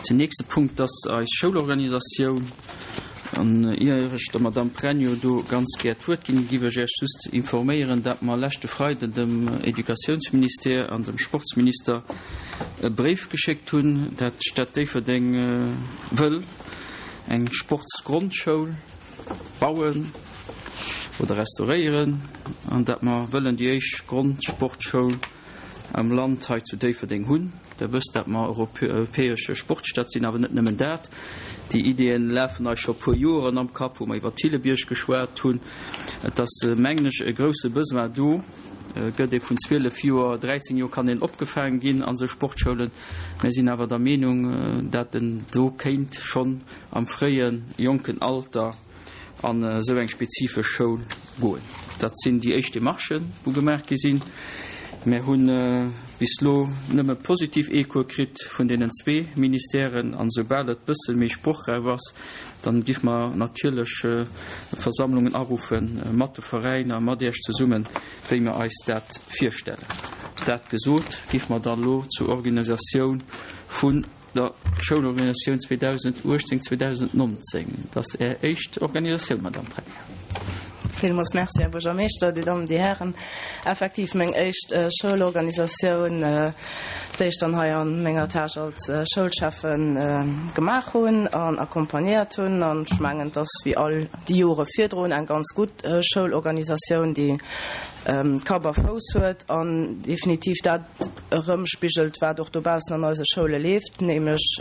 Den nächste Punkt ass eis Schoulorganisatioun. An ier ech der Madamm Pregno do ganz gär d'Wuert ginn, giff ech Iech just informéieren, dat mer leschte Freiden dem Educatiounsministère an dem Sportsminister e Bréif geschéckt hunn, dat d'Stad Déifferdeng wëll eng Sportsgrondschoul bauen oder restauréieren an dat mer wëllen déi éischt Grondsportschoul am Land hei zu Déifferdeng hunn. Der wësst, dat mer europäesche Sportstad sinn, awer net nëmmen dat. Déi Ideeën lafen eis scho puer Joeren am Kapp, wou mer iwwer Thillebiërg geschwat hunn. Et ass, mengen ech, e grouse Besoin do. Gëtt ee vun 12 Joer, 13 Joer kann een opgefaangen ginn an esou Sportschoulen. Mir sinn awer der Meenung, dat en do kéint schonn am fréie jonken Alter an esou eng spezifesch Schoul goen. Dat sinn déi éischt Demarchen, wou gemaach gi sinn. Mär hu bis elo nëmme positiv Echoe kritt vun deenen zwee Ministèren. An esoubal et bësse méi sprochräif ass, dann giff mer natierlech Versammlungen aruffe mat de Veräiner, mat Iech zesummen, wéi mer eis dat virstellen. Dat gesot, giff mer dann elo zur Organisatioun vun Der Schoulorganisatioun 2018, 2019. Et ass Är éischt Organisatioun, Madamm Premier. Villmools Merci, Här Buergermeeschter, Dir Dammen, Dir Hären. Effektiv meng éischt Schoulorganisatioun, déi ech dann hei a menger Tâche als Schoulschäffe gemaach hunn an accompagnéiert hunn. An ech mengen, et ass wéi all déi Jore virdrun eng ganz gutt Schoulorganisatioun, déi Kapp a Fouss huet an definitiv dat erëmspigelt, wat och dobaussen an eise Schoule leeft, nämlech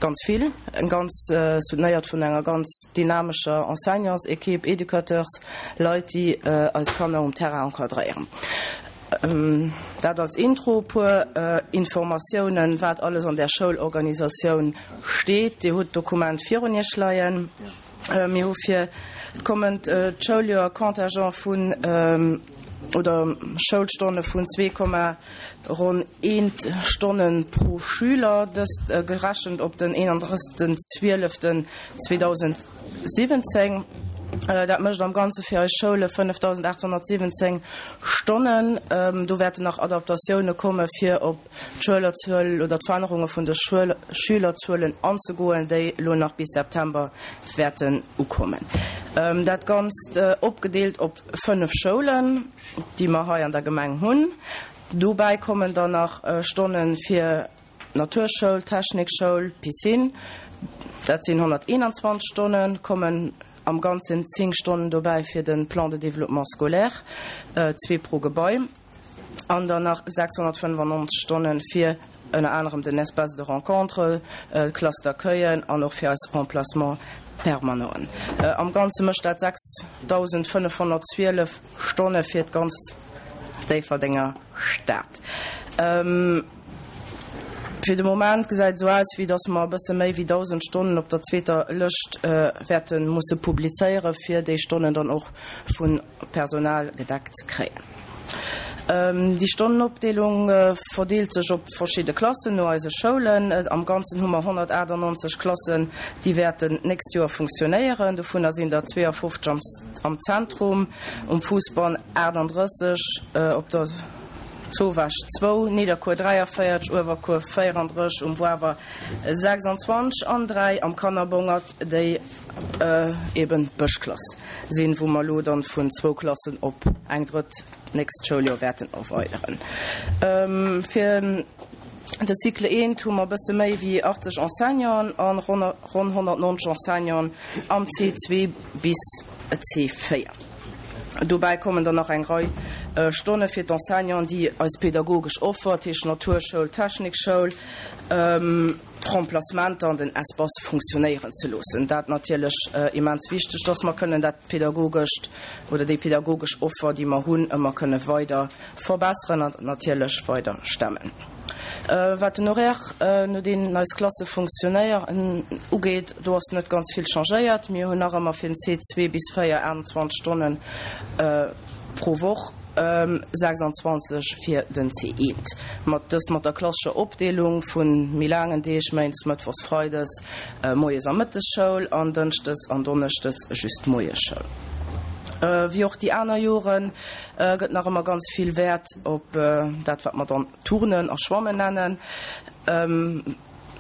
ganz vill, eng ganz soutenéiert vun enger ganz dynamescher Enseignantsequipe, Educateurs, Leit, déi eis Kanner um Terrain encadréieren. Dat als Intro. E puer Informatiounen, wat alles an där Schoulorganisatioun steet. Dir hutt d'Dokument virun Iech leien. Mir hu fir d'kommend Schouljoer Contingent vun oder Schoulstonne vun zwee Komma ronn eent Stonne pro Schüler, dëst gerechent op den 31. 12. 2017. Dat mécht am Ganze fir eis Schoule 5.817 Stonnen. Do wäerten nach Adaptatioune komme fir op d'Schülerzuel oder d'Verännerunge vun de Schülerzuelen anzegoen, déi elo nach bis September wäerten ukommen. Dat Ganzt opgedeelt op 5 Schoulen, déi mer hei an der Gemeng hunn. Dobäi kommen dann nach Stonne fir d'Naturschoul, d'Technikschoul, d'Piscine. Dat sinn 121 Stonnen, kommen am Ganzen 10 Stonnen dobäi fir de Plan de développement scolaire, zwee pro Gebai. an dann nach 695 Stonne fir ënner anerem den Espace de rencontre, d'Classe d'accueillen an och fir eis Remplacements permanenten. Am Ganze mécht dat 6.512 Stonne fir d'ganz Déifferdenger Stad. Fir de Moment gesäit et esou aus, wéi datt mer e bësse méi wéi 1.000 Stonnen op der zweeter Lëscht wäerte musse publizéieren, fir déi Stonnen dann och vu Personal gedeckt ze kréien. Déi Stonnenopdeelung verdeelt sech op verschidde Klassen no eise Schoulen. Am Ganzen hu mer 198 Klassen, déi wäerten d'nächst Joer funktionéieren. Dovunner sinn der 52 am Zentrum, um Fousbann 38, op der Zowaasch zwou, Nidderkuer 43, Uewerkuer 34, um Wawer 26 an 3 am Kannerbongert, déi eben d'Bëschklass sinn, wou mer elo dann vun zwou Klassen op eng drëtt d'nächst Schouljoer wäerten erweideren. Fir de Cycle eent hu mer e bësse méi wéi 80 Enseignanten an ronn 190 Enseignanten am C2 bis C4. Dobäi kommen dann nach eng Rei Stonne fir d'Enseignanten, déi eis pädagogesch Offer, dat heescht Naturschoul, Technikschoul, d'Remplacementer an den Espace funktionéieren ze loossen. Dat natierlech immens wichteg, dass mer kënnen dat pädagogescht oder déi pädagogesch Offer, déi mer hunn, ëmmer kënne weider verbesseren an natierlech weider stemmen. Wat den Horaire, no deenen eis Klasse funktionéieren, ugeet, do ass net ganz vill changéiert. Mir hunn nach ëmmer fir den C2 bis 4 28 Stonnen pro Woch. 26 fir den C1. Mat dëst mat der klassescher Opdeelung vu méi laangen Deeg, Méindes, Mëttwochs, Freides Moies a Mëttesschoul an Dënschdes an Donneschdes just Moiesschoul. Wéi och déi aner Jore gëtt nach ëmmer ganz vill Wäert op dat wat mer dann Turnen a Schwammen nennen.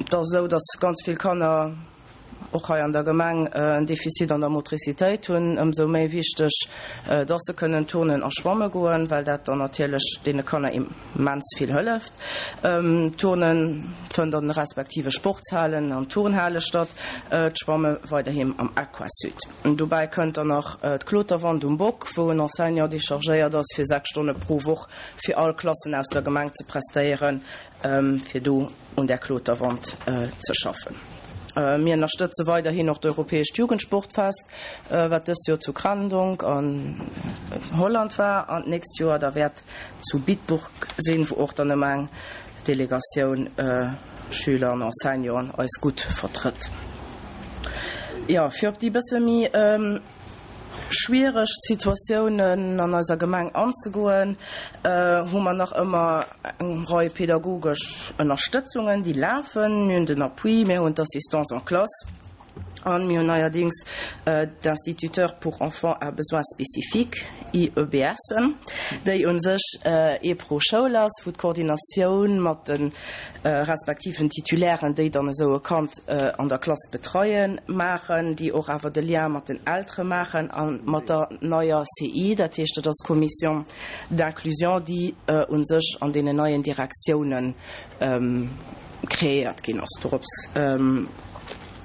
Et ass esou, dass ganz vill Kanner och hei an der Gemeng en Defizit an der Motricitéit hunn. Ëmsou méi wichteg, dass se kënnen turnen a schwamme goen, well dat dann natierlech deene Kanner immens vill hëlleft. D'Turne fënnt an de respektive Sportshalen an Turnhale statt, d'Schwamme weiderhin am Aquasud. Dobäi kënnt dann nach d'Kloterwand um Bock, wou en Enseignant dechargéiert ass, fir 6 Stonne pro Woch fir all Klassen aus der Gemeng ze prestéieren, fir do un där Kloterwand ze schaffen. Mir ënnerstëtze weiderhin och d'Europäescht Jugendsportfest, wat dëst Joer zu Kranendonk an Holland war an d'nächst Joer da wäert zu Bitburg sinn, wou och dann ëmmer eng Delegatioun Schüler an Enseignanten eis gutt vertrëtt. Jo, fir op déi bësse méi schwiereg Situatiounen an eiser Gemeng anzegoen, hu mer nach ëmmer eng Rei pedagogesch Ënnerstëtzungen, déi lafen. Mir hunn den Appui, mir hunn d'Assistance en classe an mir hunn neierdings d'Instituteurs pour enfants à besoins spécifiques, IEBS, déi u sech ee pro Schoul ass, wou d'Koordinatioun mat de respektiven Titulairen, déi dann esou e Kand an der Klass betreien, maachen, déi och awer de Lien mat den Eltere maachen a mat der neier CI, dat heescht, dat ass d'Commission d'inclusion, déi u sech an deenen neien Direktiounen kreéiert ginn ass. Dorops,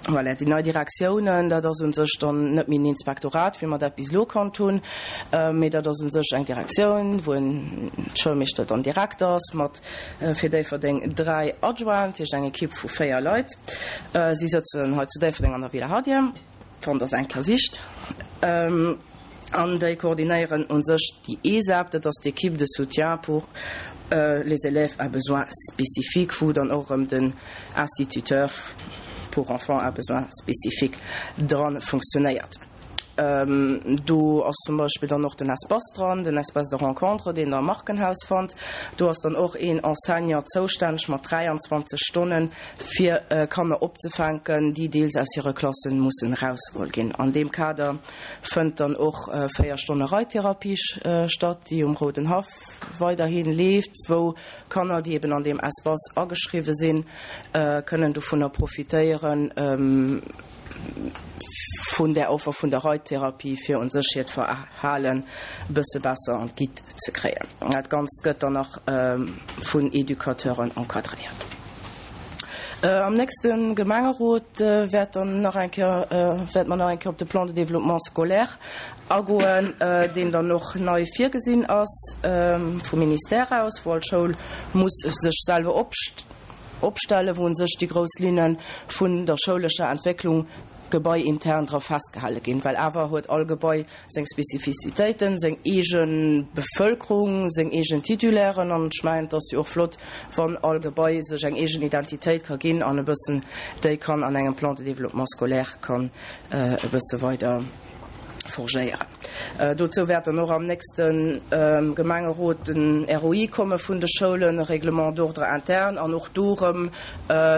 voilà, déi nei Direktiounen, dat ass u sech dann net méi en Inspektorat, wéi mer dat bis elo kannt hunn, mee dat ass u sech eng Direktioun, wou en Schoulmeeschter dann Direkter ass mat Fir Déifferdeng 3 Adjointen, dat heescht eng Ekipp vu 4 Leit. Si sëtzen hei zu Déifferdeng an der Villa Hadier, wann Der se eng Kéier sicht. An déi koordinéieren u sech déi ESAP, dat ass d'Équipe de soutien pour les élèves à besoins spécifiques, wou dann och erëm den Instituteur pour enfants à besoins spécifiques dra funktionéiert. Do ass zum Beispill dann och den Espace dran, den Espace de rencontre, deen Der am Markenhaus fannt. Do ass dann och een Enseignant zoustänneg mat 23 Stonnen, fir Kanner opzefänken, déi deels aus hire Klassen mussen erausgeholl ginn. An deem Kader fënnt dann och 4 Stonne Reittherapie statt, déi um Rouden Haff weiderhi leeft, wou Kanner, déi eben an deem Espace ageschriwwe sinn, kënnen dovunner profitéieren. Vun där Offer vun der Reittherapie, fir un sech hiert Verhalen e bësse besser an d'Gitt ze kréien. Dat Ganzt gëtt dann nach vun Educateuren encadréiert. Am nächste Gemengerot wäert dann nach eng Kéier, wäerte mer nach eng Kéier op de Plan de développement scolaire agoen, deen dann och nei virgesinn ass vum Ministère aus, wou all Schoul muss sech selwer opstellen, wou un sech déi grouss Linne vun der schoulescher Entwécklung gebaiintern dra festgehale ginn, well awer huet all Gebai seng Spezifizitéiten, seng eege Bevëlkerung, seng eegen Titulairen an ech mengen, et ass jo och flott, wann all Gebai sech eng eegen Identitéit ka ginn an e bëssen déi kann an engem Plan de développement scolaire kann e bësse weider forgéieren. Dozou wäert dann och am nächste Gemengerot den ROI komme vun de Schoulen, e Règlement d'ordre interne, an och do erëm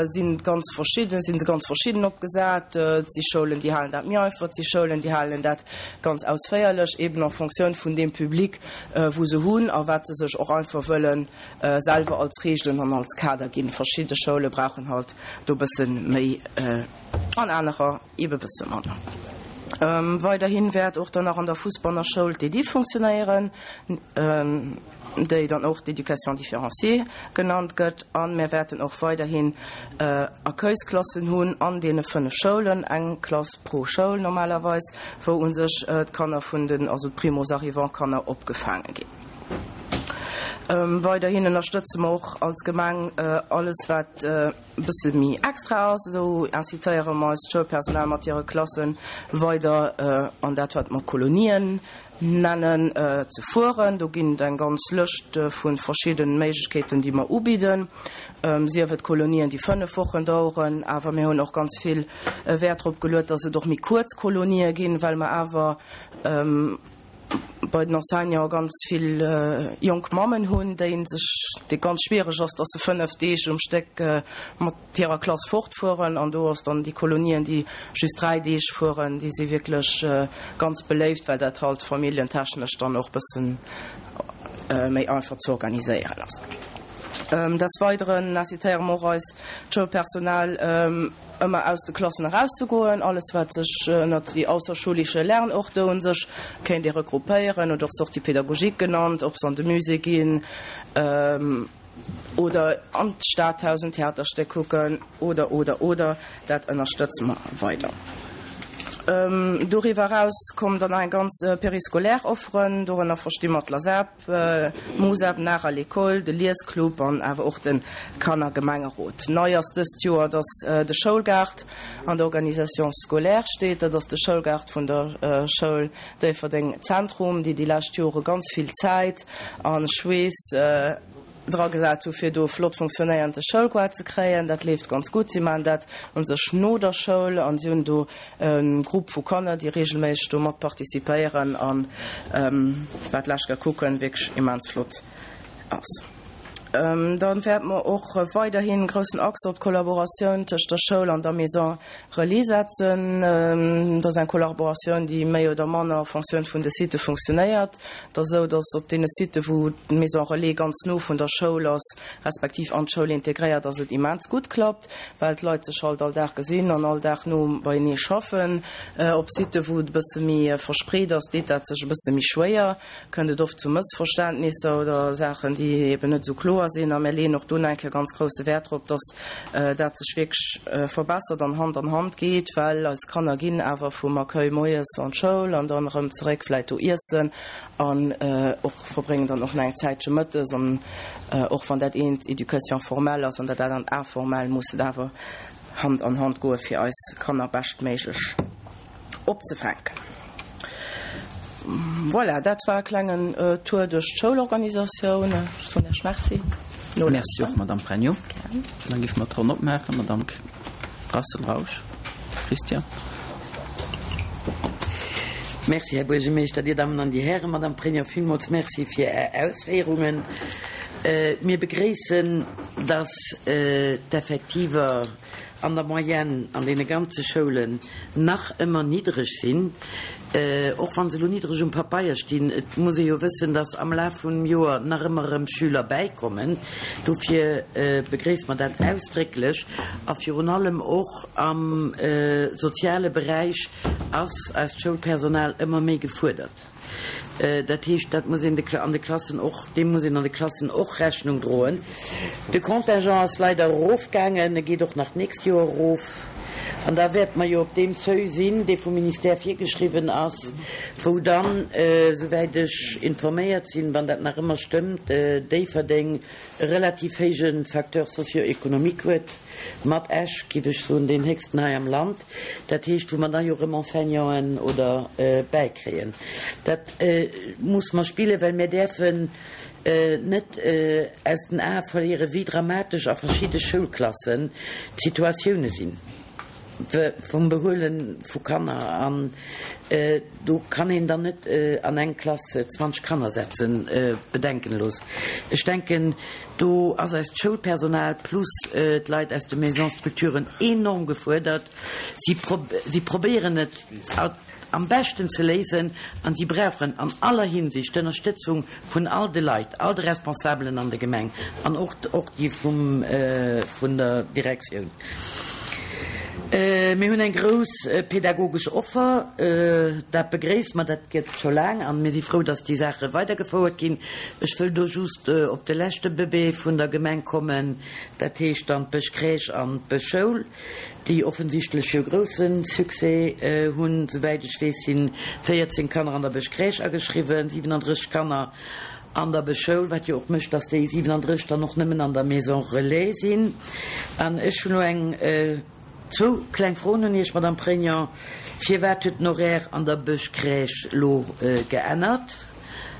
sinn et ganz verschidden, si se ganz verschidden opgesat. Et si Schoulen, déi halen dat méi einfach, et si Schoulen, déi halen dat ganz ausféierlech, eben en Fonctioun vun deem Public, wou se hunn a wat se sech och einfach wëlle selwer als Regeln an als Kader ginn. Verschidde Schoule brauchen halt do e bësse méi an anerer Ebe bësse manner. Weiderhin wäert och dann nach an der Fussbanner Schoul d'EDIFF funktionéieren, déi dann och d'Éducation différenciée genannt gëtt. A mir wäerten och weiderhin Accueilsklassen hunn an deene 5 Schoulen, eng Klass pro Schoul normalerweis, wou u sech d'Kanner vun den, also d'Primo-arrivants-Kanner opgefaange ginn. Weiderhin ënnerstëtze mer och als Gemeng alles wat, e bësse méi extra ass, esou incitéiere mer eist Schoulpersonal mat hire Klasse weider an dat wat mer Kolonien nennen ze fueren. Do ginn et eng ganz Lëscht vu verschidde Méiglechkeeten, déi mer ubidden, sief et Kolonien, déi 5 Wochen daueren, awer mir hunn och ganz vill Wäert drop geluet, dass et och méi kuerz Kolonië ginn, well mer awer bei den Enseignanten ganz vill jonk Mammen hunn, déi sech, déi ganz schwiereg ass, dass se 5 Deeg um Stéck mat hirer Klass fortfueren. An do ass dann déi Kolonien, déi just 3 Deeg fueren, déi si wierklech ganz beléift, well dat halt familljentechnesch dann och bëssen méi einfach ze organiséieren ass. Des Weideren incitéiere mer och eis d'Schoulpersonal, ëmmer aus de Klassen erauszegoen. Alles wat sech ënnert déi außerschulische Lernorte un sech kéint ee regroupéieren oder och Sortie pédagogique genannt, ob se an de Musée ginn oder an d'Stadhaus en Theaterstéck kucken oder, oder, oder, dat ënnerstëtze mer weider. Doriwwer eraus kommen dann nach eng ganz périscolaire Offeren, dorënner versti mer d'LASEP, D'Musep, Nach à l'école, de Liesclub an awer och de Kannergemengerot. Nei ass dëst Joer, dass de Schoulgaart an der Organisation scolaire steet. Dat ass de Schoulgaart vun der Schoul Déifferdeng Zentrum, déi déi lescht Jore ganz vill Zäit a Schweess dra gesat hu fir do e flott funktionéierende Schoulgoart ze kréien. Dat leeft ganz gutt. Si maachen dat u sech no der Schoul an si hunn do E Grupp vu Kanner, déi regelméisseg do mat participéieren an wat lech ga kucken wierklech immens flott ass. Dann wäerte mer och weiderhin groussen Accent op d'Kollaboratioun tëscht der Schoul an der Maison Relais setzen. Dat ass eng Kollaboratioun, déi méi oder manner en Fonctioun vun de Sitë funktionéiert. Et ass esou, dass op deene Sitë wou d'Maison Relais ganz no vun der Schoul ass, respektiv an d'Schoul integréiert ass, et immens gutt klappt. well d'Leit sech halt all Dag gesinn an all Dag no beienee schaffen. Op Sitte wou et e bësse méi verspreet ass, deet dat sech e bësse méi schwéier, kënnt et oft zu Mëssverständnisser oder Saachen, déi eben net esou kloer sinn. A mir leeën och do nach eng Kéier ganz grousse Wäert drop, dass dat sech wierklech verbessert an Hand an Hand geet, well eis Kanner ginn awer vum Accueil moies an d'Schoul an dann erëm zeréck, vläit do iessen an och verbréngen dann och nach eng Zäitche mëttes an och wann dat eent Éducation formelle ass an dat anert informell, muss et awer Hand an Hand goe fir eis Kanner beschtméiglech opzefänken. Voilà, dat war e klengen Tour duerch d'Schoulorganisatioun. Ech soen Iech Merci. Merci och, Madame Pregno. Da géife mer d'Ronn opmaachen. Madame Rassel Rausch, Christian. Merci, Här Buergermeeschter, Dir Dammen an Dir Hären. Madame Pregno, villmools Merci fir Är Ausféierungen. Mir begréissen, dass d'Effektiver an der Moyenne an deene ganze Schoulen nach ëmmer niddreg sinn, och wa se elo niddreg um Papeier stinn. Et muss ee jo wëssen, dass am Laf vum Joer nach ëmmer erëm Schüler bäikommen. Dofir begréisse mer dat ausdrécklech. A virun allem och am soziale Beräich ass eist Schoulpersonal ëmmer méi gefuerdert. Dat heescht, dat muss een an de Klassen och, deem muss een an de Klassen och Rechnung droen. De Contingent ass leider erofgaangen, e geet och nach d'nächst Joer erof. An da wäerte mer jo op deem Seuil sinn, dee vum Ministère virgeschriwwen ass, wou dann, souwäit ech informéiert sinn, wann dat nach ëmmer stëmmt, Déifferdeng e relativ héije Facteur socio-économique huet, mat Esch, géif ech soen, deen héchsten hei am Land. Dat heescht, wou mer da jo erëm Enseignanten oder bäikréien. Dat muss mer spillen, well mir däerfen net aus den Ae verléieren, wéi dramatesch a verschidde Schoulklassen d'Situatioune sinn vum Behuele vu Kanner. An do kann een dann net an eng Klass 20 Kanner setzen, bedenkenlos. Ech denken, do ass eist Schoulpersonal plus d'Leit aus de Maisons-structuren enorm gefuerdert. Si probéieren et am beschten ze léisen an si brauchen an aller Hinsicht d'Ënnerstëtzung vun all de Leit, all de Responsabelen an der Gemeng an och och déi vum vun der Direktioun. Mir hunn eng grouss pädagogesch Offer, dat begréisse mer, dat gëtt scho laang an mir si frou, dass déi Saache weidergefouert ginn. Ech wëll do just op de leschte Bëbee vun der Gemeng kommen, dat heescht dann d'Bëschcrèche an d'Bëschschoul. déi offensichtlech jo grousse Succès hunn. Souwäit ech weess si 14 Kanner an der Bëschcrèche ageschriwwen, 37 Kanner an der Bëschschoul, wat jo och mécht, dass déi 37 dann och nëmmen an der Maison Relais sinn. An ech hunn elo eng, zwou kleng Froen un Iech, Madame Pregnant. Firwat huet den Horaire an der Bëschcrèche elo geännert?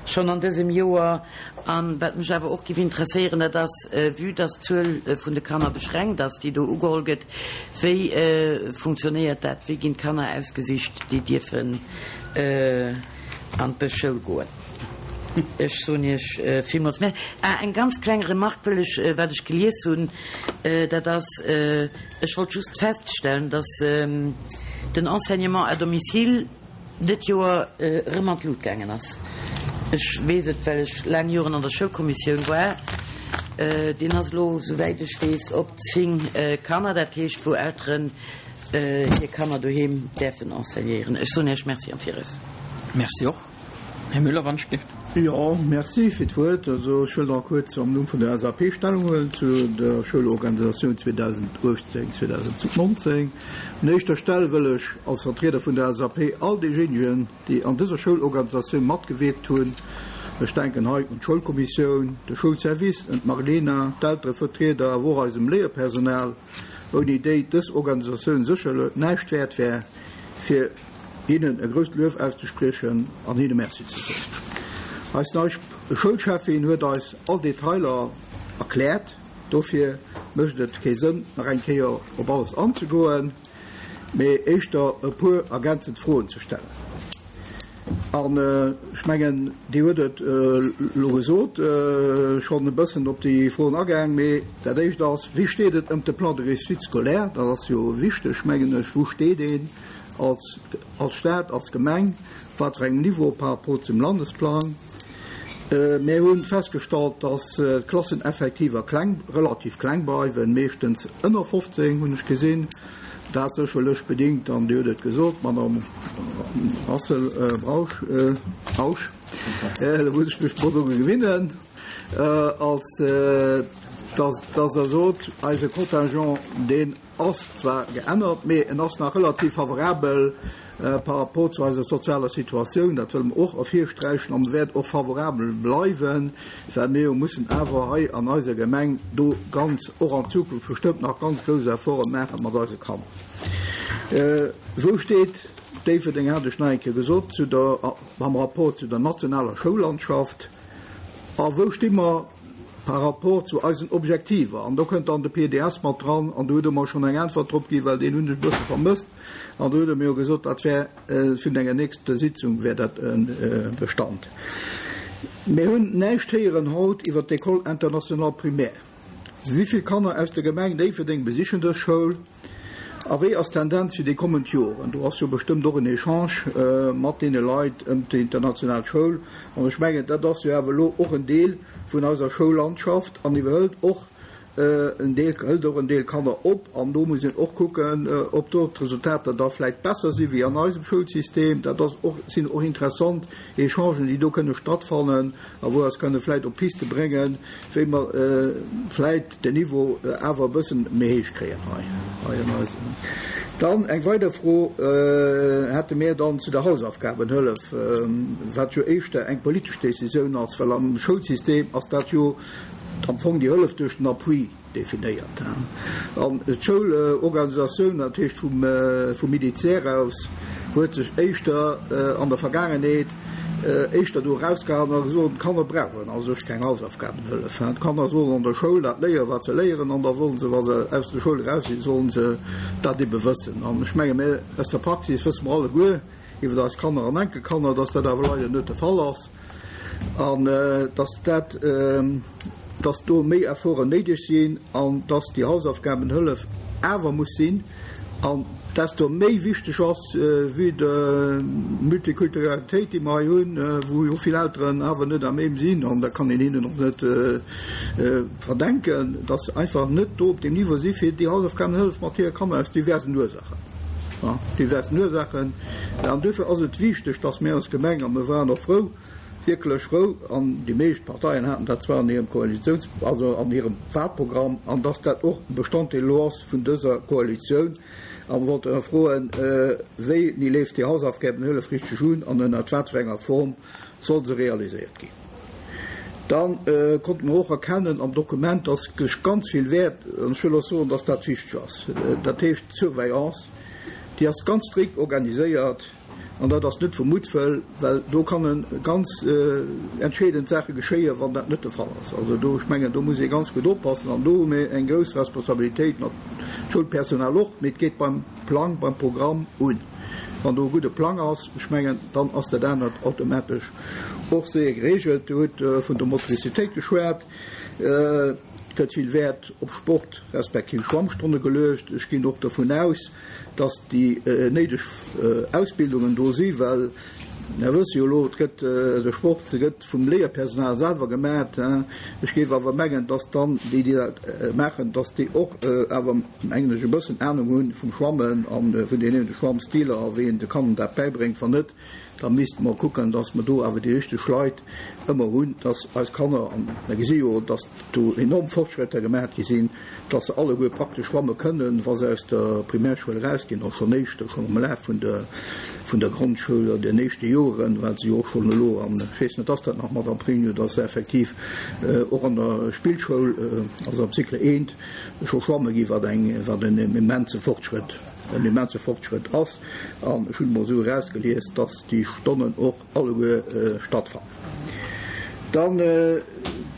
Schonn an dësem Joer. An wat mech awer och géif interesséieren, dat ass, vue dass d'Zuel vun de Kanner beschränkt ass, déi do ugeholl gëtt, wéi funktionéiert dat, wéi ginn d'Kanner ausgesicht, déi dierfen an d'Bëschschoul goen? Ech soen Iech villmools Merci. Ah, eng ganz kleng Remarque wëll ech, wat ech gelies hunn, dat ass, ech wollt just feststellen, dass den Enseignement à domicile, dët Joer erëm an d'Lut gaangen ass. Ech weess et, well ech laang Joren an der Schoulkommissioun war. Deen ass elo, souwäit ech weess, op 10 Kanner, dat heescht wou Elteren hir Kanner doheem däerfen enseignéieren. Ech soen Iech Merci am Viraus. Merci och. Här Müller, wann ech dierft. Jo, merci fir d'Wuert. Also ech wëll nach kuerz am Numm vun der SAP Stellung huelen zu der Schoulorganisatioun 2018, 2019. Un éischter Stell wëll ech als Vertrieder vun der SAP all deejéinegen, déi an dëser Schoulorganisatioun matgewierkt hunn, ech denken hei un d'Schoulkommissioun, de Schoulservice, un d'Marlena, d'Elterevertrieder, awer och eisem Léierpersonal, ouni déi dës Organisatioun sécherlech näischt wäert wär, fir hinnen e grousst Luef auszespriechen an hinne Merci ze soen. Eis nei Schoulcheffin huet eis all Detailer erkläert, dofir mécht et kee Sënn nach eng Kéier op alles anzegoen, mee éischter e puer ergänzend Froen ze stellen. An ech mengen, Dir huet et elo gesot, schonn e bëssen op déi Froen agaang, mee dat Éischt ass, Wéi steet et ëm de Plan de réussite scolaire? Dat ass jo wichteg, mengen ech. Wou steet een als, als Stad, als Gemeng, op wat fir engem Niveau par rapport zum Landesplang? Mir hu festgestallt, dass d'Klasseneffektiver kleng, relativ kleng bleiwen, meeschtens ënner 15, hunn ech gesinn. Dat sécherlech bedingt, an Dir hutt et gesot, Madame Rassel, Brausch, Rausch, elo muss ech mech drun doru gewinnen, als dass Der sot, eise Contingent, deen ass zwar geännert, mee en ass nach relativ favorabel par rapport zu eiser sozialer Situatioun. Dat wëlle mer och ervirsträichen a wäert och favorabel bleiwen, well mir jo mussen awer hei an eiser Gemeng do ganz, och an Zukunft bestëmmt nach ganz grouss Efforte maache mat eise Kanner. Wou steet Déifferdeng, hat ech nach eng Kéier gesot, zu der, am Rapport zu der nationaler Schoullandschaft a wou sti mer par rapport zu eisen Objektiver? An do kënnt dann de PDS mat dran an do hutt Der mer schonn eng Äntwert drop ginn, well deen hunn ech e bësse vermësst. An do huet e mir jo gesot, dat wär vun enger nächster Sitzung wär dat e Bestand. Mir hunn näischt héieren haut iwwert d'École internationale primaire. Wéi vill Kanner aus der Gemeng Déifferdeng besichen dës Schoul a wéi ass d'Tendenz fir déi kommend Joren? Do ass jo bestëmmt och en Echange mat deene Leit ëm d'international Schoul. An ech mengen, dat ass jo awer elo och en Deel vun eiser Schoullandschaft an iwwerhëlt och En Deel hëlt och en Deel Kanner op an do muss een och kucken, ob do d'Resultater da vläicht besser si wéi an eisem Schoulsystem. Dat ass och, sinn och interessant Echangen, déi do kënne stattfannen a wou eis kënne vläicht op Piste bréngen, wéi mer vläicht den Niveau awer e bëssen méi héich kréien hei, hei an eisem. Dann eng weider Fro hätte mir dann zu der Hausaufgabenhëllef, wat jo éischter eng politesch Décisioun ass, well am Schoulsystem ass dat jo, am Fong déi Hëllef duerch den Appui definéiert. An d'Schoulorganisatioun, dat heescht vum Militär aus, huet sech éischter an der Vergaangenheet éischter do erausgehalen a gesot, d'Kanner brauchen a sech keng Hausaufgabenhëllef. D'Kanner sollen an der Schoul dat léieren, wat se léieren, an da sollen se, wa se aus der Schoul eraus sinn, sollen se dat ebe wëssen. An ech menge mir aus der Praxis wësse mer alleguer iwwer eis Kanner an Enkelkanner, dass dat awer leider net de Fall ass. an dass dat, dass do méi Efforten néideg sinn an dass déi Hausaufgabenhëllef awer muss sinn an desto méi wichteg ass, vue de Multikulturalitéit, déi mer hei hunn, wou jo vill Elteren awer net à même sinn, an dat kann een hinnen och net verdenken, dass se einfach net do op deem Niveau si fir déi Hausaufgabenhëllef mat hire Kanner aus diversen Ursachen, diversen Ursachen. An duerfir ass et wichteg, dass mir als Gemeng, a mir waren och frou, wierklech frou, an déi meescht Parteien haten dat zwar an hirem Koalitiouns-, also an hirem Wahlprogramm, an dass dat och e Bestanddeel elo ass vun dëser Koalitioun, a mir wollten och froen, Wéini leeft déi Hausaufgabenhëllef richteg un an ënnert wat fir enger Form soll se realiséiert ginn? Da konnte mer och erkennen am Dokument, dass sech ganz vill Wäert, an ech wëll och soen, dass dat wichteg ass, dat heescht d'Surveillance, déi ass ganz strikt organiséiert an dat ass net vu Muttwëll, well do kanne ganz entscheedend Saache geschéien, wann dat net de Fall ass. Also do, ech mengen, do muss ee ganz gutt oppassen an do hu mir eng grouss Responsabilitéit, d'Schoulpersonal och, mee et geet beim Plang, beim Programm un. Wann do e gudde Plang ass, ech mengen, dann ass dat anert automatesch och séier geregelt. Dir hutt vun der Motricitéit geschwat. Et gëtt vill Wäert op Sport respektiv Schwammstonne geluecht. Ech ginn och dovun aus, dass déi néideg Ausbildungen do si, well. Mir wësse jo elo, et gëtt de Sport gëtt vum Léierpersonal selwer gemat. Ech géif awer mengen, dass dann déi, déi dat maachen, dass déi och awer, mengen ech, e bëssen Anung hu vum Schwammen a vun deenen Schwammstiler a wéi een de Kanner dat bäibréngt. Wann net, da misste mer kucken, dass mer do awer déi richteg Leit ëmmer hunn, dass eis Kanner, an mer gesi jo, dass do enorm Fortschrëtter gemaach gi sinn, dass se alleguer praktesch schwamme kënnen, wa se aus der Primärschoul erausginn, och schonn éischter, schonn am Laf vun der, vun der Grondschoul oder den éischte Joren, well se jo och schonn elo, an ech weess net, ass dat nach, Madame Pregno, dass se effektiv och an der Spillschoul, also am Cycle I, scho schwamme ginn, wat eng, wat en immense Fortschrëtt, en immense Fortschrëtt ass. An ech hunn emol esou erausgelies, dass déi Stonnen och alleguer stattfannen. Dann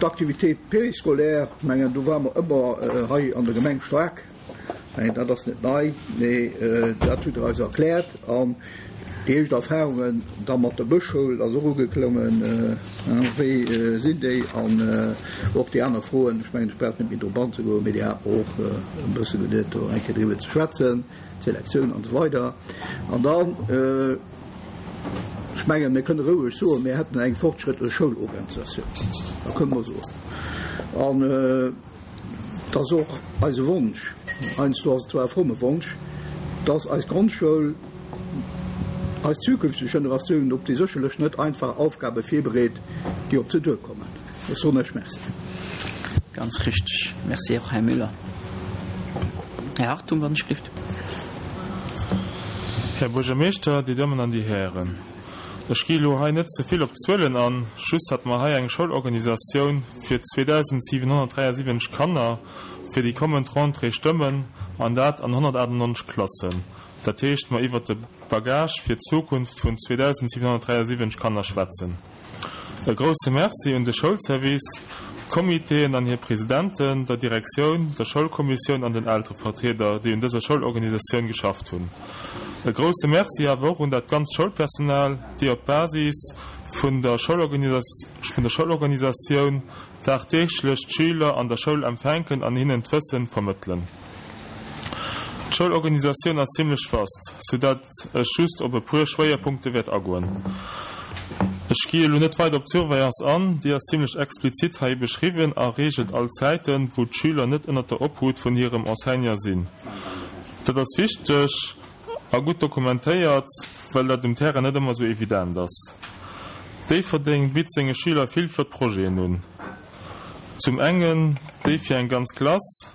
d'Activités périscolaires, mengen do ware mer ëmmer hei an der Gemeng staark, mengen dat ass net nei, mee dat hutt Der eis erkläert. An déi éischt Erfahrungen da mat der Bëschschoul ass och ugeklongen, wéi sinn déi? An och déi aner Froen, ech mengen ech brauch net méi drop anzegoen, mee déi hate mer och e bësse geduet do eng Kéier driwwer ze schwätzen. Selektioun an esou weider. An dann, ech mengen, mir kënne roueg soen, mir hätten eng fortschrëttlech Schoulorganisatioun. Dat kënne mer soen. An et ass och eise Wonsch, heiansdo ass et zwar e fromme Wonsch, dass eis Grondschoul eis zukünfteg Generatiounen op déi sécherlech net einfach Aufgabe virbereet, déi op se duerkommen. Ech soen Iech Merci. Ganz richtig. Merci och, Här Müller. Här Hartung, wann ech gelift. Här Buergermeeschter, Dir Dammen an Dir Hären, ech gi elo hei net ze vill op d'Zuelen an, just datt mer hei eng Schoulorganisatioun fir 2.773 Kanner fir déi kommend Rentrée stëmmen, an dat an 198 Klassen. Dat heescht, mer iwwert de Bagage fir d'Zukunft vun 2.773 Kanner schwätzen. E grousse Merci un de Schoulservice, d'Comitéen an hir Presidenten, der Direktioun, der Schoulkommissioun an den Elterevertrieder, déi un dëser Schoulorganisatioun geschafft hunn. E grousse Merci awer och un dat ganzt Schoulpersonal, déi op Basis vun der Schoulorganisatioun dagdeeglech d'Schüler an der Schoul empfänken an hinnen d'Wëssen vermëttelen. D'Schoulorganisatioun ass zimlech vast, sou dat ech just op e puer Schwéierpunkte wäert agoen. Ech gi elo net weider op d'Surveillance an, déi ass zimlech explizit hei beschriwwen a reegelt all Zäiten, wou d'Schüler net ënnert der Obhut vun hirem Enseignant sinn. Dat ass wichteg a gutt dokumentéiert, well dat um Terrain net ëmmer sou evident ass. Déifferdeng bitt senge Schüler vill flott Projeten un. Zum engen déi fir eng ganz Klass,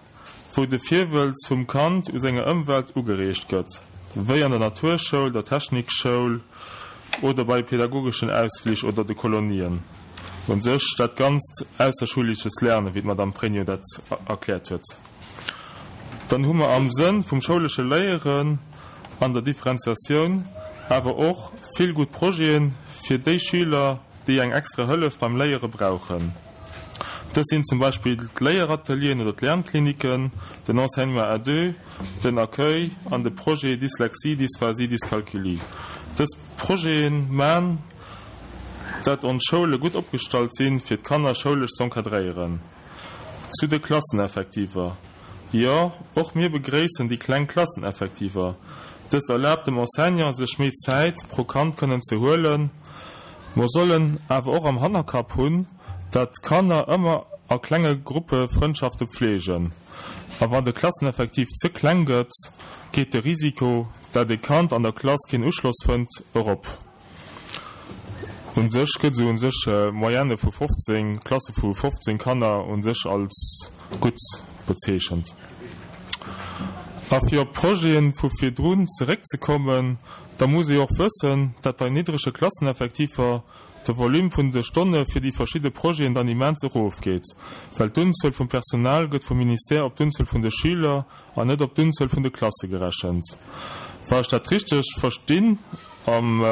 wou de Virwëlz vum Kand u senger Ëmwelt ugereegt gëtt, wéi an der Naturschoul, der Technikschoul oder bei pedagogeschen Ausflich oder de Kolonien. Un sech dat ganzt ausserschulesches Lernen, wéi d'Madame Pregno dat erkläert huet. Dann hu mer am Sënn vum schoulesche Léieren an der Differenziatioun awer och vill gutt Projete fir déi Schüler, déi eng extra Hëllef beim Léiere brauchen. Dës sinn zum Beispill d'Léieratelieren oder d'Lernkliniken, den Enseignement à deux, den Accueil an de Projet Dyslexie, Dysphasie, Dyscalculie. Dës Projete man, dat ons Schoule gutt opgestallt sinn, fir d'Kanner schoulesch z'encadréieren. Zu de Klasseneffektiver, Jo, och mir begréissen déi kleng Klasseneffektiver. Dëst erlaabt dem Enseignant, sech méi Zäit pro Kand kënnen ze huelen. Mer sollen awer och am Hannerkapp hunn, dat d'Kanner ëmmer a klenge Gruppe Frëndschafte pflegen. A wann de Klasseneffektiv ze kleng gëtt, geet de Risiko, dat e Kand an der Klass keen Uschloss fënnt, erop. U sech gëtt esou u sech Moyenne vu 15, Klasse vu 15 Kanner u sech als gutt bezeechent. A fir op d'Projete vu virdrun zeréckzekommen, da muss ee och wëssen, dat bei niddrege Klasseneffektiver de Volume vun de Stonne fir déi verschidde Projeten dann immens erofgeet, well d'Unzuel vum Personal gëtt vum Ministère op d'Unzuel vun de Schüler an net op d'Unzuel vun de Klasse gerechent. Wa ech dat richteg verstinn, am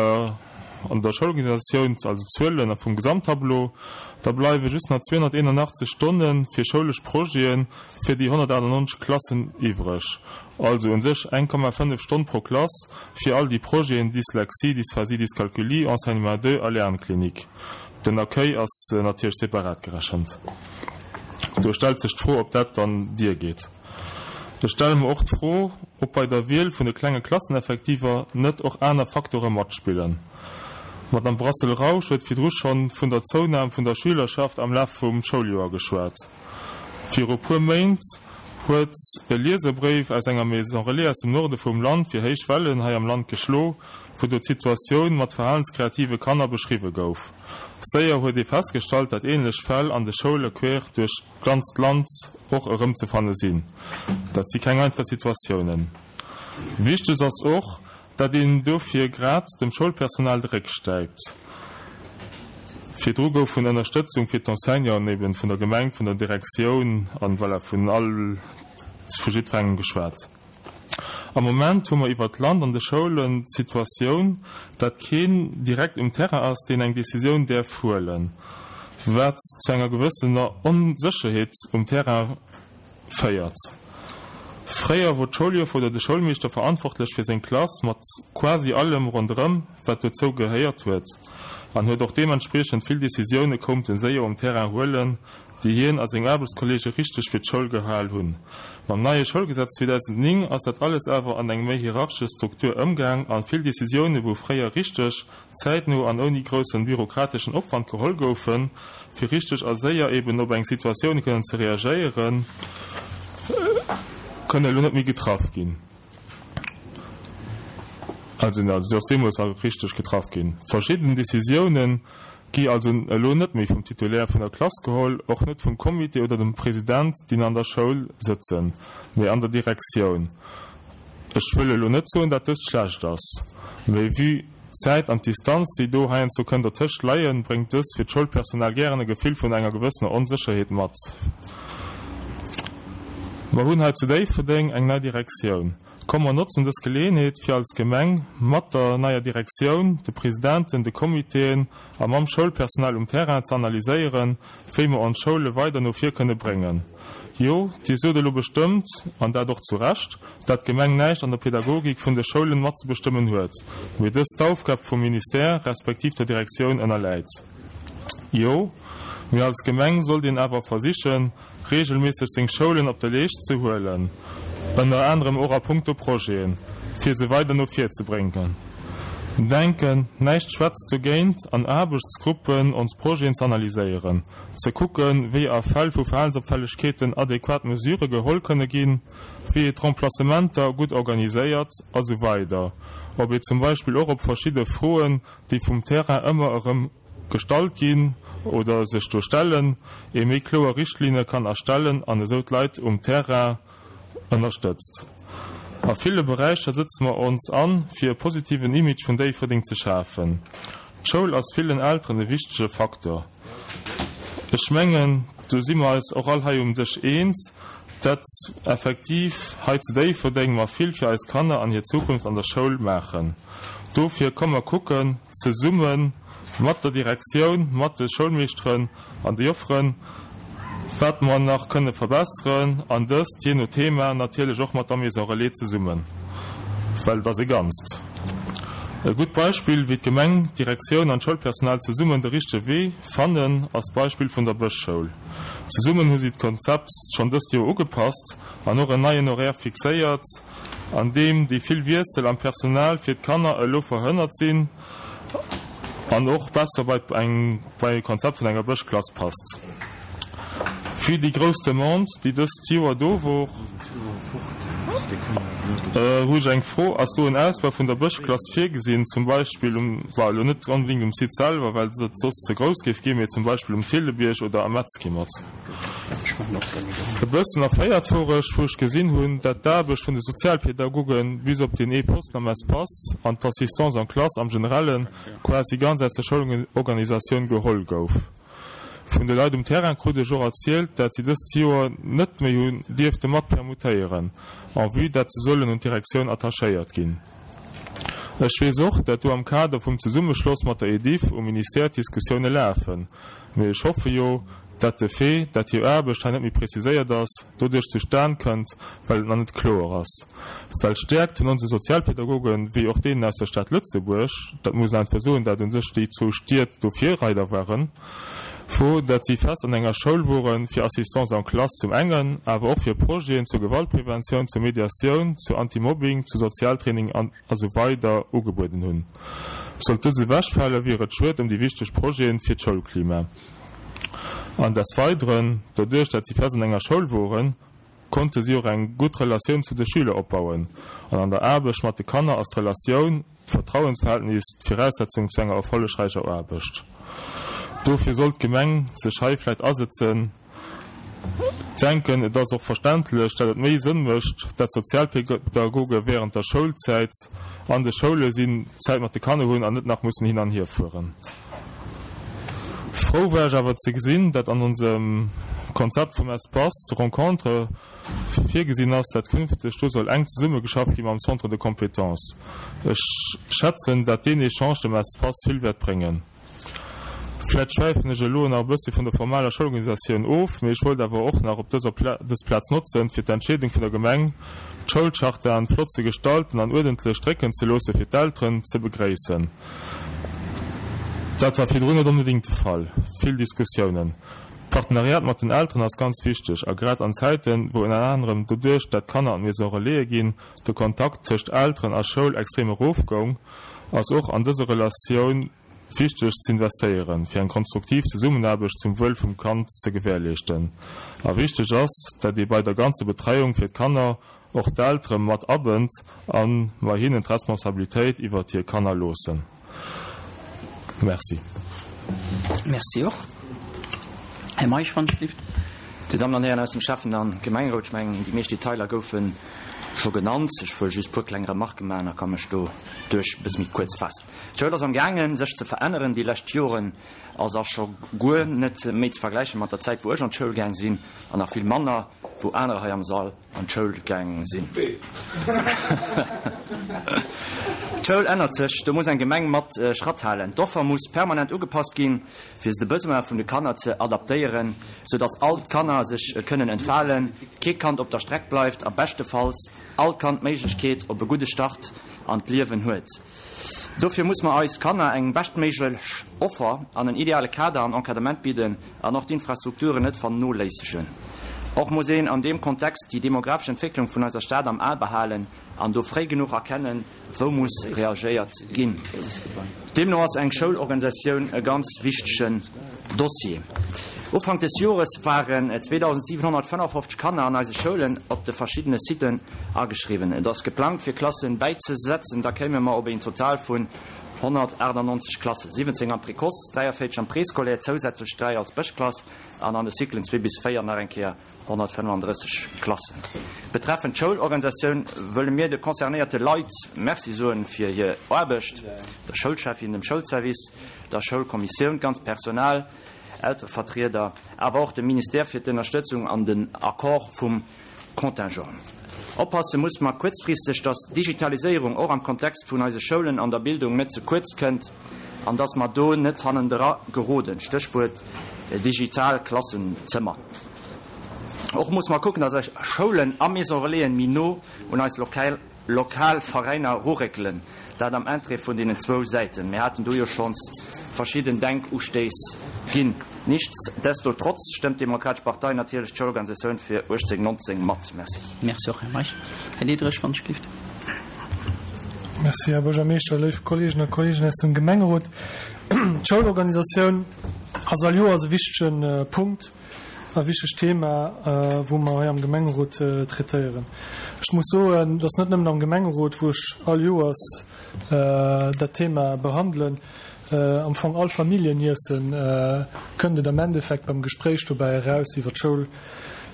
an der Schoulorganisatioun, also d'Zuelen vum Gesamttableau, da bleiwe just nach 281 Stonne fir schoulesch Projete fir déi 198 Klassen iwwreg, also u sech 1,5 Stonn pro Klass fir all déi Projeten, Dyslexie, Dysphasie, Dyscalculie, Enseignement deux a Lernklinik. Den Accueil ass natierlech separat gerechent. Do stellt sech d'Fro, ob dat dann diergeet. Ech stelle mer och d'Fro, ob bei der Wiel vun de klenge Klasseneffektiver net och aner Facteure matspillen. D'Madame Brassel-Rausch huet virdru schonn vun der Zounam vun der Schülerschaft am Laf vum Schouljoer geschwat. Viru puer Méint huet e Lieserbréif aus enger Maison Relais aus dem Norde vum Land fir héich Wellen hei am Land geschlo, wou do d'Situatioun mat verhalenskreative Kanner beschriwwe gouf. Séier huet ee festgestallt, dat ähnlech Fäll an de Schoule quer duerch d'ganzt Land och erëmzefanne sinn. Dat si keng einfach Situatiounen. Wichteg ass och, Dat een dofir grad dem Schoulpersonal de Réck stäipt. Virdru gouf vun Ënnerstëtzung fir d'Enseignanten eben vun der Gemeng, vun der Direktioun an voilà vun all, vu jiddwerengem geschwat. Am Moment hu mer iwwert d'Land an de Schoulen d'Situatioun, dat keen direkt um Terrain ass, deen eng Décisioun däerf huelen, wat zu enger gewëssener Onsécherheet um Terrain féiert. Fréier wor d'Schouljoffer oder de Schoulmeeschter verantwortlech fir seng Klass mat quasi allem ronderëm wat dozou gehéiert huet an huet och deementspriechend vill Decisioune koumten séier um Terrain huelen, déi hien a seng Aarbechtskolleege richteg fir d'Schoul gehal hunn. Mam neie Schoulgesetz 2009 ass dat alles awer an eng méi hierarchesch Struktur ëmgaang an vill Decisioune wou fréier richteg zäitno an ouni groussen bürokrateschen Opwand geholl goufen, fir richteg a séier eben op eng Situatioun kënnen ze reagéieren, kënnen elo net méi getraff ginn. Also, se ass deemools richteg getraff ginn. Verschidden Décisiounen gi also elo net méi vum Titulaire vun der Klass geholl, och net vum Comité oder dem President, déi an der Schoul sëtzen, mee an der Direktioun. Ech wëll elo net soen, dat dëst schlecht ass, mee vue d'Zäit an d'Distanz, déi do heiansdo kënn dertëscht leien, bréngt dës fir d'Schoulpersonal gären e Gefill vun enger gewëssener Onsécherheet mat. Mer hunn hei zu Déifferdeng eng nei Direktioun. Komm mer notzen dës Geleeënheet, fir als Gemeng mat der neier Direktioun, de Presidenten, de Comitéen a mam Schoulpersonal um Terrain ze analyséieren, wéi mer ons Schoule weider no vir kënne bréngen. Jo, Dir sot elo bestëmmt, an dat och zu Recht, dat d'Gemeng näischt an der Pädagogik vun de Schoulen matzebestëmmen huet, mee dës d'Aufgab vum Ministère respektiv der Direktioun ënnerläit. Jo, mee als Gemeng sollt een awer versichen, regelméisseg seng Schoulen op de Leescht ze huelen, ënner anerem och a puncto Projeten, fir se weider no vir ze bréngen. Denken, näischt schwätzt dogéint, an Aarbechtsgruppen ons Projeten ze analyséieren, ze kucken, wéi a Fäll vu Verhalensopfällegkeeten adequat Mesurë geholl kënne ginn, wéi ee d'Remplacementer gutt organiséiert a sou weider Ob ee zum Beispill och op verschidde Froen, déi vum Terrain ëmmer erëm gestallt ginn oder sech do stellen, ee méi kloer Richtlinne kann erstellen an esou d'Leit um Terrain ënnerstëtzt. A ville Beräicher sëtze mer ons an, fir e positiven Image vun Déifferdeng ze schafen. D'Schoul ass villen Elteren e wichtege Faktor. Ech mengen, do si mer eis och all hei um Dësch eens, dat effektiv hei zu Déifferdeng mer vill fir eis Kanner an hir Zukunft an der Schoul maachen. Dofir komm mer kucken zesumme mat der Direktioun, mat de Schoulmeeschteren an de Jofferen, wat mer nach kënne verbesseren, an dëst, jee no Thema, natierlech och mat der Maison Relais zesummen, well et ass e Ganzt. E gutt Beispill, wéi d'Gemeng, d'Direktioun an d'Schoulpersonal zesummen de richtege Wee fannen, ass d'Beispill vun der Bëschschoul. Zesummen hu si d'Konzept schonn dëst Joer ugepasst an och en neien Horaire fixéiert, an deem déi vill Wiessel am Personal fir d'Kanner elo verhënnert sinn an och besser bei eng bei e Konzept vun enger Bëschklass passt. Vue déi grouss Demande, déi dëst Joer do wor, hu ech eng Fro, Ass do en Ausbau vun der Bëschklass virgesinn, zum Beispill um, bon, elo net onbedéngt um Site selwer, well et soss ze grouss géif ginn, mee zum Beispill um Thillebierg oder am Metzkimmert? E bëssen erféiert wor ech, wou ech gesinn hunn, dat d'Aarbecht vun de Sozialpädagogen, bis op deen ee Posten am Espace, an d'Assistance en classe am Generellen, quasi ganz aus der Schoulorganisatioun geholl gouf. Vun de Leit um Terrain krut ech och erzielt, dat si dëst Joer net méi hunn dierfte mat permutéieren, en vue dat se sollen un d'Direktioun attachéiert ginn. Ech weess och, dat do am Kader vum Zesummeschloss mat der Ediff um Ministère d'Diskussioune lafen. Mee ech hoffe jo, dat de Fait, dat hir Aarbecht hei net méi preziséiert ass, doduerch zustan kënnt, well et nach net kloer ass. Well d'Stäerkt vun onse Sozialpädagogen, wéi och deenen aus der Stad Lëtzebuerg, dat muss een einfach soen, dat u sech déi zwou Stied do Virreider waren, wor, dat si fest an enger Schoul wore fir Assistance en classe zum engen, awer och fir Projeten zur Gewaltpreventioun, zur Mediatioun, zu Anti-Mobbing, zu Sozialtraining an. a sou weider ugebueden hunn. Sollt dës ewechfale wier et schued ëm déi wichteg Projeten fir d'Schoulklima. An des Weideren, doduerch dat si fest an enger Schoul woren, konnte si och eng gutt Relatioun zu de Schüler opbauen. An an der Aarbecht mat de Kanner ass d'Relatioun, d'Vertrauensverhältnis d'Viraussetzung zu enger erfollegräicher Aarbecht. Dofir sollt d'Gemeng sech hei vläit asëtzen. Denken, et ass och verständlech, dat et méi Sënn mécht, dat Sozialpedagoge während der Schoulzäit an de Schoule sinn, Zäit mat de Kanner hunn an net nach mussen hin an hier fueren. Frou war ech awer ze gesinn, dat an onsem Konzept vum Espace de rencontre virgesinn ass, dat künfteg do soll enk zesummegeschafft gi mam Centre de compétences. Ech schätzen, dat deen Echange dem Espace vill wäert bréngen. Vläit schwäifen ech elo nach e bëssi vun der formaler Schoulorganisatioun of, mee ech wollt awer och nach op dëser dës Plaz notzen, fir d'Entscheedung vun der Gemeng, d'Schoulchartaen flott ze gestalten an uerdentlech drécken ze loosse fir d'Elteren, ze begréissen. Dat war virdrun net onbedéngt de Fall. Vill Diskussiounen. D'Partenariat mat den Elteren ass ganz wichteg a grad an Zäiten, wou ënner anerem doduerch, dat d'Kanner an d'Maison Relaisen ginn, de Kontakt tëscht Elteren a Schoul extrem erofgoung, ass och an dëser Relatioun wichteg z'investéieren, fir eng konstruktiv Zesummenaarbecht zum Wuel vum Kand ze gewährleeschten. A wichteg ass, dat ee bei der ganzer Betreiung fir d'Kanner och d'Eltere mat abënnt a mer hinnen d'Responsabilitéit iwwert hir Kanner loossen. Merci. Merci och. Här Meisch, wann ech dierft. Dir Dammen an Hären aus dem Schäffen a Gemengerot, ech mengen, déi meescht Detailer goufe scho genannt. Ech wëll just e puer kleng Remarque maachen a ka mech doduerch e bësse méi kuerz faassen. D'Schoul ass am gaangen, sech ze veränneren. Déi lescht Joren ass a scho guer net méi ze vergläiche mat der Zäit, wou ech an d'Schoul gaang sinn, an nach vill manner, wou anerer hei am Sall an d'Schoul gaang sinn. D'Schoul ännert sech, do muss eng Gemeng mat Schratt halen. D'Offer muss permanent ugepasst ginn, fir se de Besoin vun de Kanner ze adaptéieren, sou dass all d'Kanner sech kënnen entfalen, kee Kand op der Streck bleift a beschtefalls all Kand d'Méiglechkeet op e gudde Start an d'Liewen huet. Dofir muss mer eis Kanner eng beschtméiglech Offer an en ideale Kader an Encadrement bidden an och d'Infrastrukturen net vernoléissegen. Och muss een an deem Kontext déi demografesch Entwécklung vun eiser Stad am A behalen an do fréi genuch erkennen, wou muss reagéiert ginn. Deemno ass eng Schoulorganisatioun e ganz wichtegen Dossier. Ufank des Jores waren 2.755 Kanner an eise Schoulen op de verschiddene Siten ageschriwwen. Et ass geplangt fir Klassen bäizesetzen, da kéime mer op een Total vun 198 Klassen, 17 am Précoce, 43 am Préscolaire, zousätzlech 3 als Bëschklass an an de Cyclen 2 bis 4 nach eng Kéier 135 Klassen. Betreffend d'Schoulorganisatioun wëlle mir de concernéierte Leit Merci soen fir hir Aarbecht, der Schoulschäffin, dem Schoulservice, der Schoulkommissioun, d'ganzt Personal, Elterevertrieder, awer och dem Ministère fir d'Ënnerstëtzung an den Accord vum Contingent. Oppasse muss mer kuerzfristeg, dass d'Digitaliséierung och am Kontext vun eise Schoulen an der Bildung net ze kuerz kënnt an dass mer do net hannendra geroden, Stéchwuert digital Klassenzëmmer. Och muss mer kucken, dass eis Schoulen a Maison Relaisen méi no un eis lokal lokal Veräiner eruréckelen, dat am Interêt vun deenen zwou Säiten. Mir haten do jo schonns verschidden Denkustéiss ginn. Nichtsdestotrotz stëmmt d'Demokratesch Partei natierlech d'Schoulorganisatioun fir 18, 19 mat. Merci. Merci och, Här Meisch. Här Diderich, wann ech gelift. Merci, Här Buergermeeschter, léif Kolleegen a Kolleegen aus dem Gemengerot. D'Schoulorganisatioun ass all Joers e wichtege Punkt. E wichtegt Thema, wou mer hei am Gemengerot traitéieren. Ech muss soen, et ass net nëmmen am Gemengerot, wou ech all Joers dat Thema behandelen. Am Fong all Familljeniessen kënnt et am Endeffekt beim Gespréich dobäi eraus, iwwer d'Schoul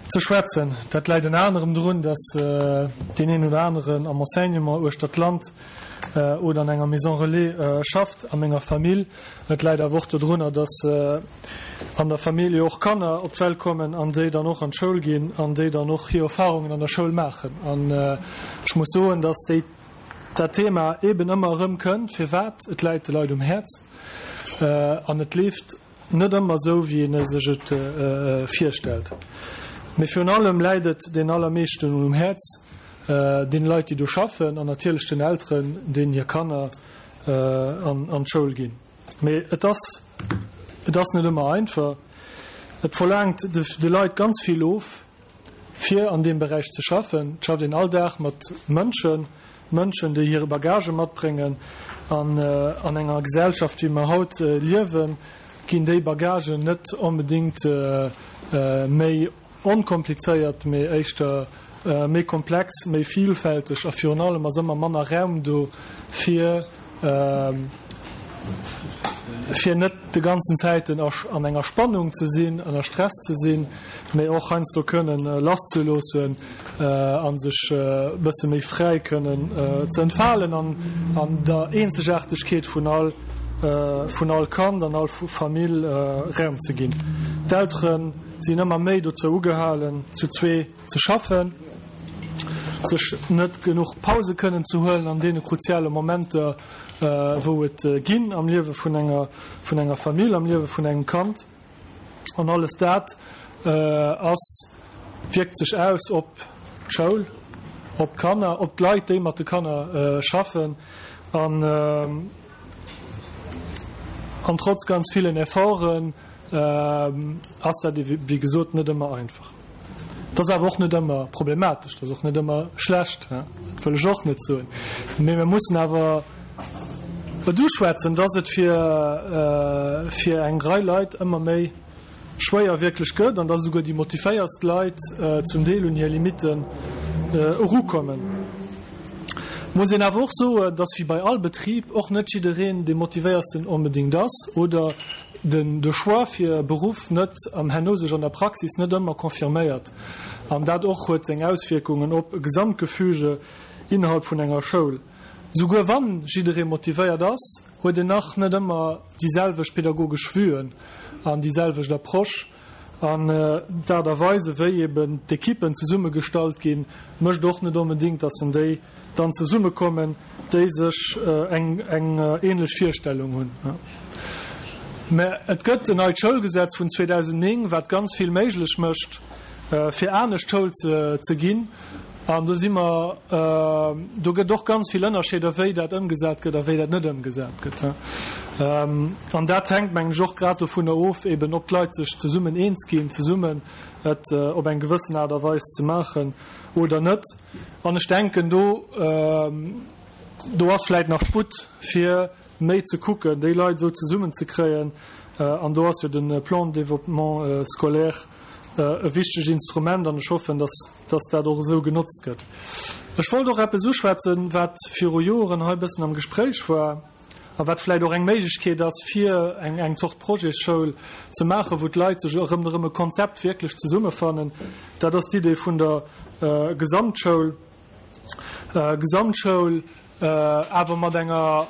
ze schwätzen. Dat läit ënner anerem drun, dass deen een oder aneren am Enseignement uechter d'Land oder an enger Maison relais schafft. A menger Famill Et läit awer och dodrunner, dass an der Famill jo och Kanner op d'Welt kommen an déi dann och an d'Schoul ginn an déi dann och hir Erfahrungen an der Schoul maachen. An ech muss soen, dass déi, dat Thema eeben ëmmer erëm kënnt. Firwat? Et läit de Leit um Häerz an et leeft net ëmmer esou, wéi een sech et virstellt. Mee virun allem läit et den allermeeschten um Häerz, deene Leit, déi do schaffen an natierlech den Elteren, deenen hir Kanner an d'Schoul ginn. Mee et ass, et ass net ëmmer einfach. Et verlaangt de Leit ganz vill of, fir an deem Beräich ze schaffen. Et schafft een all Dag mat Mënschen, Mënschen, déi hire Bagage matbréngen. An an enger Gesellschaft, wéi mer haut liewen, ginn déi Bagagen net onbedéngt méi onkomplizéiert, mee éischter méi komplex, méi vielfälteg a virun allem ass ëmmer manner Raum do, fir fir net de ganzen Zäiten an enger Spannung ze sinn, ënner Stress ze sinn, mee och heiansdo kënnen lasszeloossen a sech e bësse méi fräi kënnen ze entfalen an an der Eenzegaartegkeet vun all vun all Kand an all Famill Raum ze ginn. D'Eltere sinn ëmmer méi dozou ugehalen, zu zwee ze schaffen, sech net genuch Pause kënnen ze huelen an deene kruziale Momenter, wou et ginn am Liewe vun enger, vun enger Famill, am Liewe vun engem Kand. An alles dat ass, wierkt sech aus op d'Schoul, op d'Kanner, op d'Leit, déi mat de Kanner schaffen. An, an trotz ganz villen Efforten ass dat, wéi gesot, net ëmmer einfach. Et ass awer och net ëmmer problematesch, et ass och net ëmmer schlecht, dat wëll ech och net soen. Mee mir mussen awer et uschwätzen, dass et fir, fir eng Rei Leit ëmmer méi schwéier wierklech gëtt an dass esouguer déi motivéiertst Leit zum Deel un hir Limitten erukommen. Et muss een awer och soen, dass wéi bei all Betrib och net jiddereen dee motivéiertsten onbedéngt ass oder den de Choix fir e Beruff net an herno sech an der Praxis net ëmmer confirméiert. An dat och huet seng Auswierkungen op e Gesamtgefüge innerhalb vun enger Schoul. Souguer wann jidderee motivéiert ass, huet en nach net ëmmer déi selwecht pedagogesch Vuen an déi selwecht Approche. An d'Aart a Weis ewéi eben d'Ekippen zesummegestallt ginn, mécht och net onbedéngt, dass en déi dann zesummekommen, déi sech eng ähnlech Virstellung hunn. Mä et gëtt en neit Schoulgesetz vun 2009, wat ganz vill méiglech mécht, fir anescht Schoul ze ginn. An do si mer, do gëtt och ganz vill Ënnerscheeder, wéi dat ëmgesat gëtt a wéi dat net ëmgesat gëtt. An dat hänkt, mengen ech, och grad dovunner of, eben ob d'Leit sech zesummen eens ginn, zesummen et op eng gewëssen Aart a Weis ze maachen oder net. An ech denken, do, do ass vläicht nach Sputt, fir méi ze kucken, déi Leit esou zesummenzekréien. An do ass jo de Plan de développement scolaire e wichtegt Instrument an ech hoffen, dass, dass dat och esou genotzt gëtt. Ech wollt och eppes uschwätzen, wat viru Joren hei e bëssen am Gespréich war. A wat vläicht och eng Méiglechkeet ass, fir eng eng Zort Projetsschoul ze maachen, wou d'Leit sech erëm erëm e Konzept wierklech zesummefannen. Dat ass d'Idee vun der Gesamtschoul. Gesamtschoul awer mat enger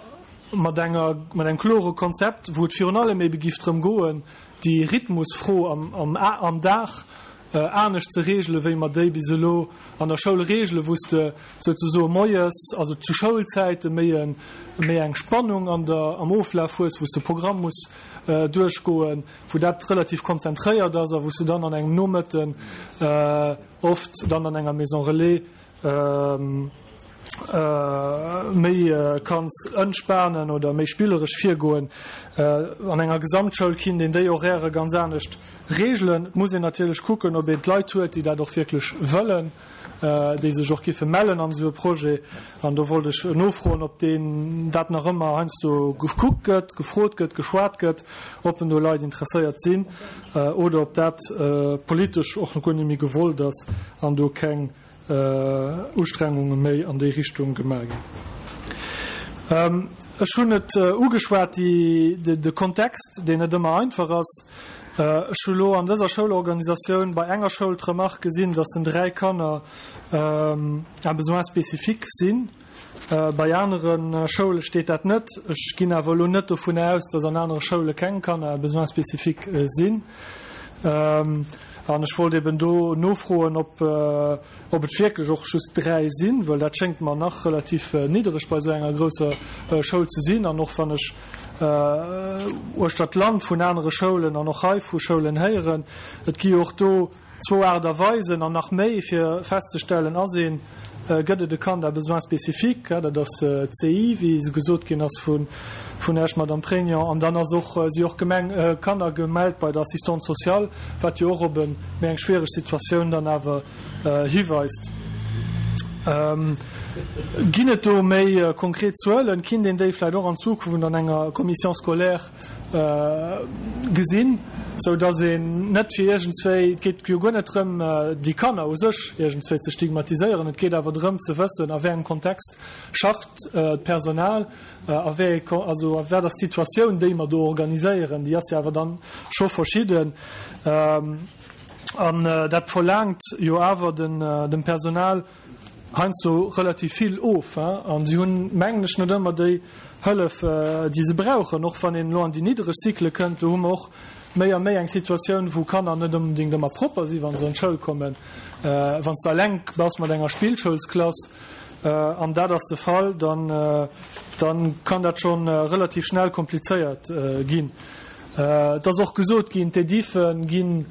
mat enger mat engem klore Konzept, wou et virun allem ebe giff drëm goen, déi Rhythmusfro am am am Dag anescht ze regelen, wéi mer déi bis elo an der Schoul regelen, wou s de souzesoe moies, also zu Schoulzäite méi e méi eng Spannung an der am Oflaf hues, wou s de Programm muss duerchgoen, wou dat relativ konzentréiert ass a wou s de dann an engem Nomëtten oft dann an enger Maison relais méi kanns entspanen oder méi spilleresch virgoen. An enger Gesamtschoul kinnt een déi Horairë ganz anescht reegelen. Et muss een natierlech kucken, ob een d'Leit huet, déi dat och wierklech wëllen, déi sech och giffe mellen an esou e Projet. An do wollt ech nofroen, ob deen dat nach ëmmer heiansdo gekuckt gëtt, gefrot gëtt, geschwat gëtt, ob en do Leit interesséiert sinn oder ob dat politesch och guer net méi gewollt ass an do keng Ustrengunge méi an déi Richtung gemaach ginn. Ech hunn et ugeschwat, de Kontext, deen net ëmmer einfach ass. Ech hu lo an dëser Schoulorganisatioun bei enger Schoul d'Remarque gesinn, dass den 3 Kanner à besoins spécifiques sinn. Bei anere Schoule steet dat net. Ech ginn awer elo net dovun aus, dass an anere Schoule keng Kanner à besoins spécifiques sinn. An ech wollt eben do nofroen, ob ob et wierklech och just 3 sinn, well dat schéngt mer nach relativ niddereg bei esou enger grousser Schoul ze sinn. An och wann ech uechter d'Land vun anere Schoulen an och hei vu Schoulen héieren, et gi jo och do Zwou Aart a Weisen an nach méi fir festzestellen, ass een, gëtt et e Kand à besoins spécifiques, dat ass d'CI, wéi se gesot ginn ass vun Iech, Madame Pregnon, an dann ass och, si och Gemeng, Kanner gemellt bei der Assistante sociale, wat jo och op e méi eng schwiereg Situatioun dann awer hiweist. Ginn et do méi konkret Zuelen? Kinnt een déi vläicht och an Zukunft an enger Commission scolaire gesinn, sou datt een net fir iergendswéi, et geet jo guer net drëm, déi Kanner u sech iergendswéi ze stigmatiséieren, et geet awer drëm ze wëssen, a wéi engem Kontext schafft d'Personal, a wéi, also a wat ass d'Situatioun, déi mer do organiséieren, déi ass jo awer dann scho verschidden. An dat verlaangt jo awer dem Personal heiansdo relativ vill of. A si hunn, mengen ech, net ëmmer déi Hëllef, déi se brauchen. Och wann een elo an déi niddereg Cyclë kënnt, do hu mer och méi a méi eng Situatioun, wou Kanner net onbedéngt ëmmer propper sinn, wa se an d'Schoul kommen. Wann s de eleng bass mat enger Spillschoulsklass, an dat ass de Fall, dann kann dat scho relativ schnell komplizéiert ginn. Et ass och gesot ginn, d'Edife ginn,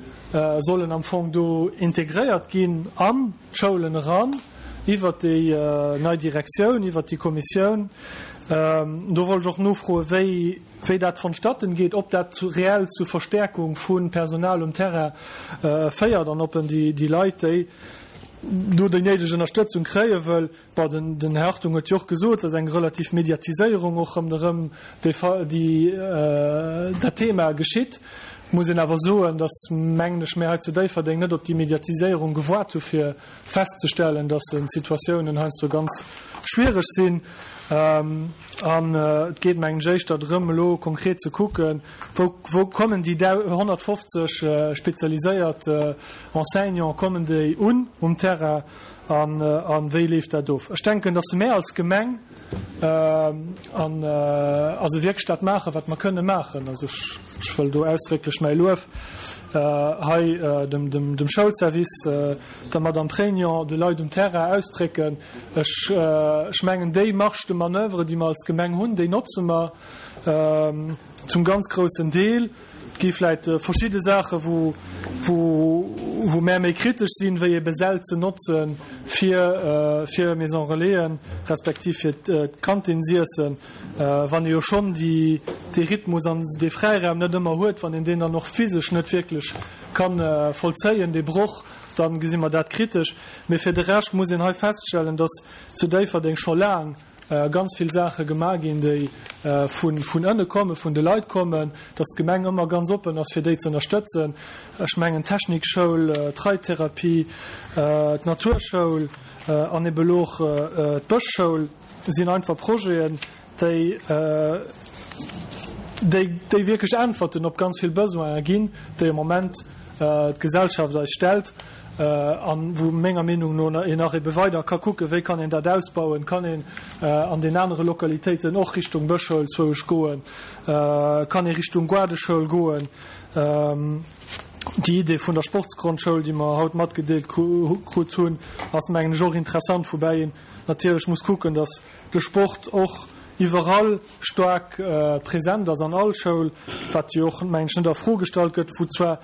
sollen am Fong do integréiert ginn an d'Schoulen eran, iwwert déi nei Direktioun, iwwert déi Kommissioun. Do wollt ech och nofroen, wéi, wéi dat vonstatten geet, ob dat reell zu Verstärkung vu Personal um Terrain féiert an ob en déi, déi Leit, déi do déi néideg Ënnerstëtzung kréie wëll, Bon, den, den Här Hartung huet jo och gesot, dass eng relativ Mediatiséierung och ronderëm déi, déi, dat Thema geschitt. Et muss een awer soen, dass, mengen ech, mir hei zu Déifferdeng net op déi Mediatiséierung gewaart hu fir festzestellen, dass d'Situatiounen heiansdo ganz schwierig sinn. An et geet, mengen ech, éischter drëm, elo konkret ze kucken, wou, wou kommen déi 150 spezialiséiert Enseignants, kommen déi un um Terrain? An wéi leeft dat of? Ech denken, dass mär als Gemeng an also wierklech dat maachen, wat mer kënne maachen. Also ech, ech wëll do ausdrécklech mäi Luef hei dem, dem, dem Schoulservice, der Madame Préignon, de Leit um Terrain ausdrécken. Ech, ech mengen, déi Marge de manoeuvre, déi mer als Gemeng hunn, déi notze mer zum ganz groussen Deel. Et gi vläit verschidde Saache wou wou mär méi kritesch sinn, wéi ebe Säll ze notze fir fir Maison Relaisen, respektiv fir d'Kantinsiessen, wann ee jo schonn déi dee Rhythmus an dee Fräiraum net ëmmer huet, wann een deen dann och physesch net wierklech ka vollzéien, dee Broch, da gesi mer dat kritesch. Mee fir de Rescht muss een hei feststellen, datt zu Déifferdeng scho laang ganz vill Saache gemaach ginn, déi vun ënne kommen, vun de Leit kommen, dass d'Gemeng ëmmer ganz oppen ass, fir déi ze ënnerstëtzen. Ech mengen d'Technikschoul, d'Reittherapie, d'Naturschoul an ebe elo och d'Bëschschoul sinn einfach Projeten, déi, déi wierklech Äntwerten op ganz vill Besoinen ginn, déi am Moment d'Gesellschaft eis stellt an wou menger Meenung no een nach ebe weider ka kucken, wéi kann een dat ausbauen, kann een an den anere Lokalitéiten och Richtung Bëschschoul zwouesch goen, kann ee Richtung Gaardeschoul goen. Déi Idee vun der Sportsgrondschoul, déi mer haut matgedeelt krut hunn, ass mengen ech och interessant, woubäi een natierlech muss kucken, datt de Sport och iwwerall staark present ass an all Schoul, wat jo och, mengen ech, net a Fro gestallt gëtt, wou zwar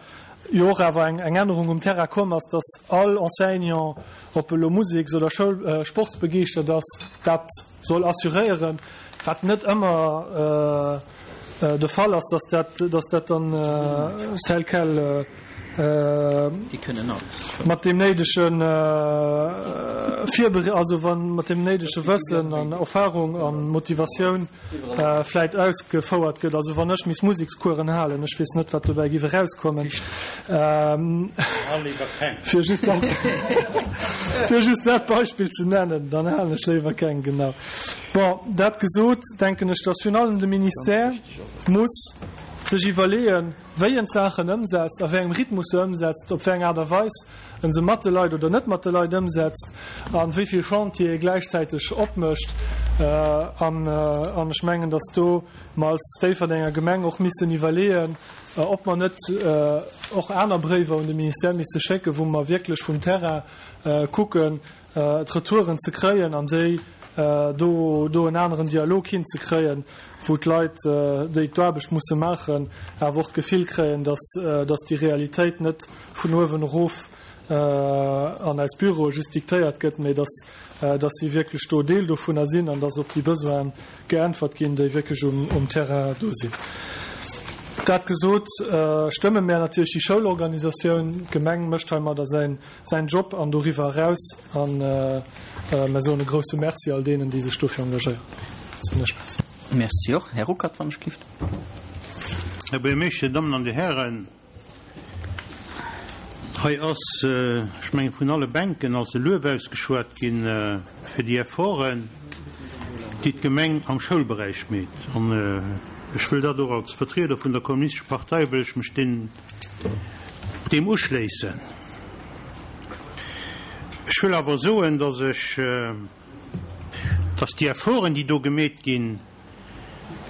jo och awer eng Ännerung um Terrain komm ass, dass all Enseignant, ob elo Museks oder Schoul sportsbegeeschtert ass, dat soll assuréieren, wat net ëmmer de Fall ass, dass dat, dass dat dann tel quel mat deem néidege Virbere-, also wann mat deem néidege Wëssen an Erfahrung a Motivatioun vläit ausgefouert gëtt. Also wann ech misst Musekskueren halen, ech weess net, wat dobäi giff erauskommen. Fir just dat, fir just dat Beispill ze nennen, dann halen ech léiwer keng, genau. Bon, dat gesot, denken ech, dass virun allem de Ministère muss sech iwwerleeën, wéi en d'Saachen ëmsetzt, a wéi engem Rhythmus se ëmsetzt, op wéi eng Aart a Weis en se mat de Leit oder net mat de Leit ëmsetzt a wéi vill Chantiere e gläichzäiteg opmécht. An ech mengen, datt do mer als Déifferdenger Gemeng och missen iwwerleeën, ob mer net och aner Bréiwer un de Ministère misse schécken, wou mer wierklech vum Terrain kucken, d'Retouren ze kréien an déi do do en aneren Dialog hinzekréien, wou d'Leit, déi d'Aarbecht musse maachen, awer och d'Gefill kréien, dass dass déi Realitéit net vun uewen erof an eis Büroe just diktéiert gëtt, mee dass dass si wierklech do Deel dovunner sinn an dass op déi Besoine geäntwert ginn, déi wierklech um um Terrain do sinn. Dat gesot, stëmme mär natierlech déi Schoulorganisatioun. D'Gemeng mécht heimadder säin säin Job an doriwwer eraus. A mär soen e grouse Merci all deenen, déi sech dofir engagéieren. Soen ech Merci. Merci och. Här Ruckert, wann ech gelift. Här Buergermeeschter, Dir Dammen an Dir Hären, hei ass, ech mengen, vun alle Bänken ass e Luef ausgeschwat ginn fir déi Efforten, déi d'Gemeng am Schoulberäich meet. An ech wëll dat och als Vertrieder vun der Kommunistescher Partei wëll ech mech deenen, deem uschléissen. Ech wëll awer soen, dass ech, dass déi Efforten, déi do gemeet ginn,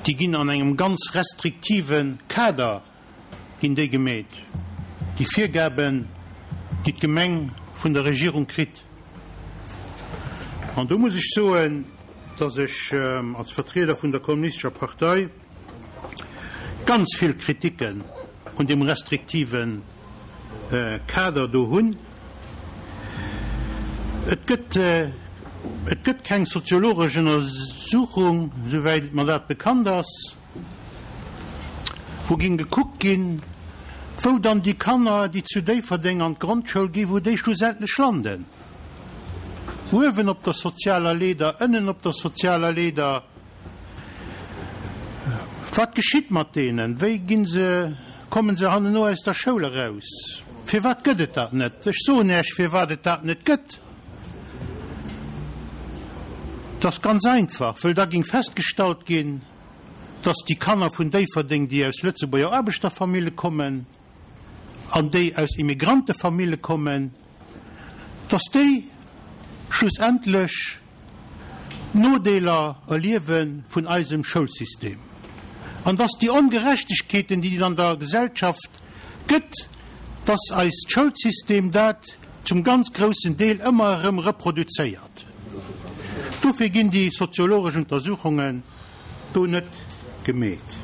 déi ginn an engem ganz restriktive Kader ginn déi gemeet, déi Virgaben, déi d'Gemeng vun der Regierung kritt. An do muss ech soen, dass ech als Vertrieder vun der Kommunistescher Partei ganz vill Kritiken un deem restriktive Kader do hunn. Et gëtt, et gëtt keng soziologesch Ënnersuchung, souwäit mer dat bekannt ass, wou géing gekuckt ginn, wou dann déi Kanner, déi zu Déifferdeng an d'Grondschoul ginn, wou déi schlussendlech landen. Uewen op der sozialer Leeder, ënnen op der sozialer Leeder. Wat geschitt mat deenen? Wéi ginn se, kommen se hanneno aus der Schoul eraus? Firwat gëtt et dat net? Ech soen Iech, firwat et dat net gëtt. Et ass ganz einfach, wëll da ging festgestallt ginn, dass déi Kanner vun Déifferdeng, déi aus Lëtzebuerger Aarbechterfamille kommen an déi aus Immigrantefamille kommen, dass déi schlussendlech d'Nodeeler erliewe vun eisem Schoulsystem an dass déi Ongerechtegkeeten, déi et an der Gesellschaft gëtt, dass eist Schoulsystem dat zum ganz groussen Deel ëmmer erëm reproduzéiert. Dofir ginn déi soziologesch Untersuchungen do net gemeet.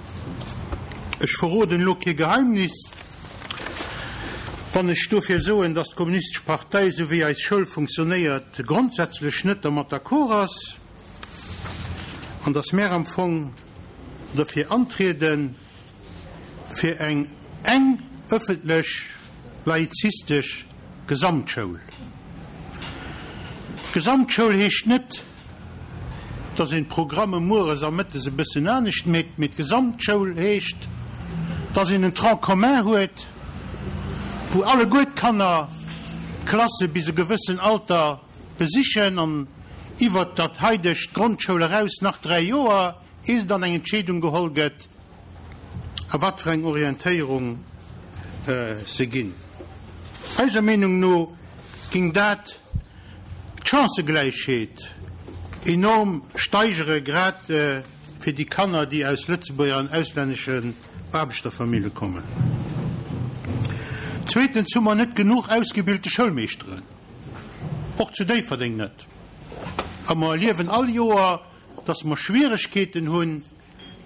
Ech verroden elo kee Geheimnis, wann ech dofir soen, dass d'Kommunistesch Partei, esou wéi eis Schoul funktionéiert, grondsätzlech net dermat d'accord ass an dass mär am Fong derfir antrieden, fir eng eng ëffentlech laizistesch Gesamtschoul. Gesamtschoul heescht net, dass een d'Programme mueres a mëttes e bëssen anescht mécht, mee d'Gesamtschoul heescht, dass een en Tronc commun huet, wou alleguer d'Kanner d'Klasse bis e gewëssen Alter besichen an iwwert dat haidegt Grondschoul eraus nach 3 Joer, ehe se dann eng Entscheedung geholl gëtt, a wat fir eng Orientéierung se ginn. Eiser Meenung no ging dat d'Chancëgläichheet enorm steigere, grad fir déi Kanner, déi aus Lëtzebuerger an auslänneschen Aarbechterfamille kommen. Zweetens hu mer net genuch ausgebilte Schoulmeeschteren, och zu Déifferdeng net. A mer erliewen all Joer, dass mer Schwieregkeeten hunn,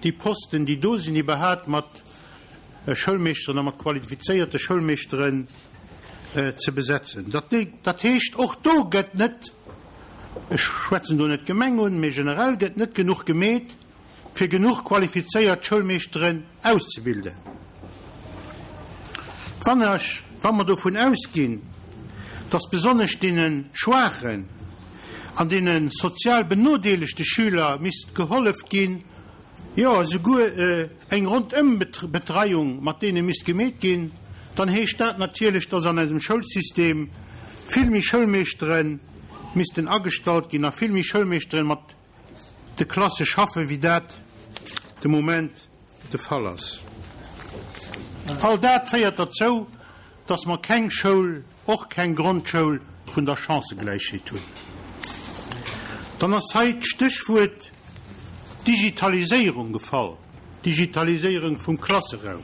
déi Posten, déi do sinn, iwwerhaapt mat Schoulmeeschteren a mat qualifizéierte Schoulmeeschteren ze besetzen. Dat heescht, och do gëtt net, ech schwätzen do net d'Gemeng un, mee generell gëtt net genuch gemeet, fir genuch qualifizéiert Schoulmeeschteren auszebilden. Wann ech, wa mer dovun ausginn, dass besonnesch deene schwaachen an deene sozial benodeelegte Schüler misst gehollef ginn, jo esouguer eng Rondëmbetreiung mat deene misst gemeet ginn, dann heescht dat natierlech, dass an eisem Schoulsystem vill méi Schoulmeeschtere missten agestallt ginn a vill méi Schoulmeeschteren mat de Klasse schaffen, wéi dat de Moment de Fall ass. All dat féiert derzou, dass mer keng Schoul, och keng Grondschoul vun der Chancëgläichheet hunn. Dann ass hei d'Stéchwuert Digitaliséierung gefall, Digitaliséierung vum Klasseraum.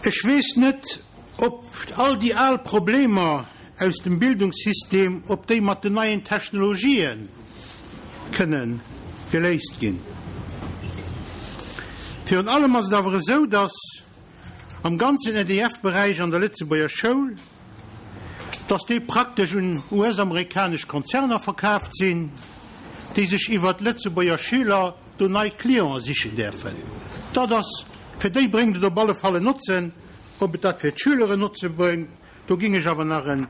Ech weess net, ob all déi al Problemer aus dem Bildungssystem, ob déi mat den neien Technologië kënne geléist ginn. Virun allem ass et awer esou, dass am ganzen EDF-Beräich an der Lëtzebuerger Schoul, dass déi praktesch un US-amerikanesch Konzerner verkaaft sinn, déi sech iwwert Lëtzebuerger Schüler. do nei Clienten sichen däerfen. Dat ass, fir déi bréngt et op alle Fall en Notzen. Ob et dat fir d'Schüler en Notze bréngt, do géing ech awer nach e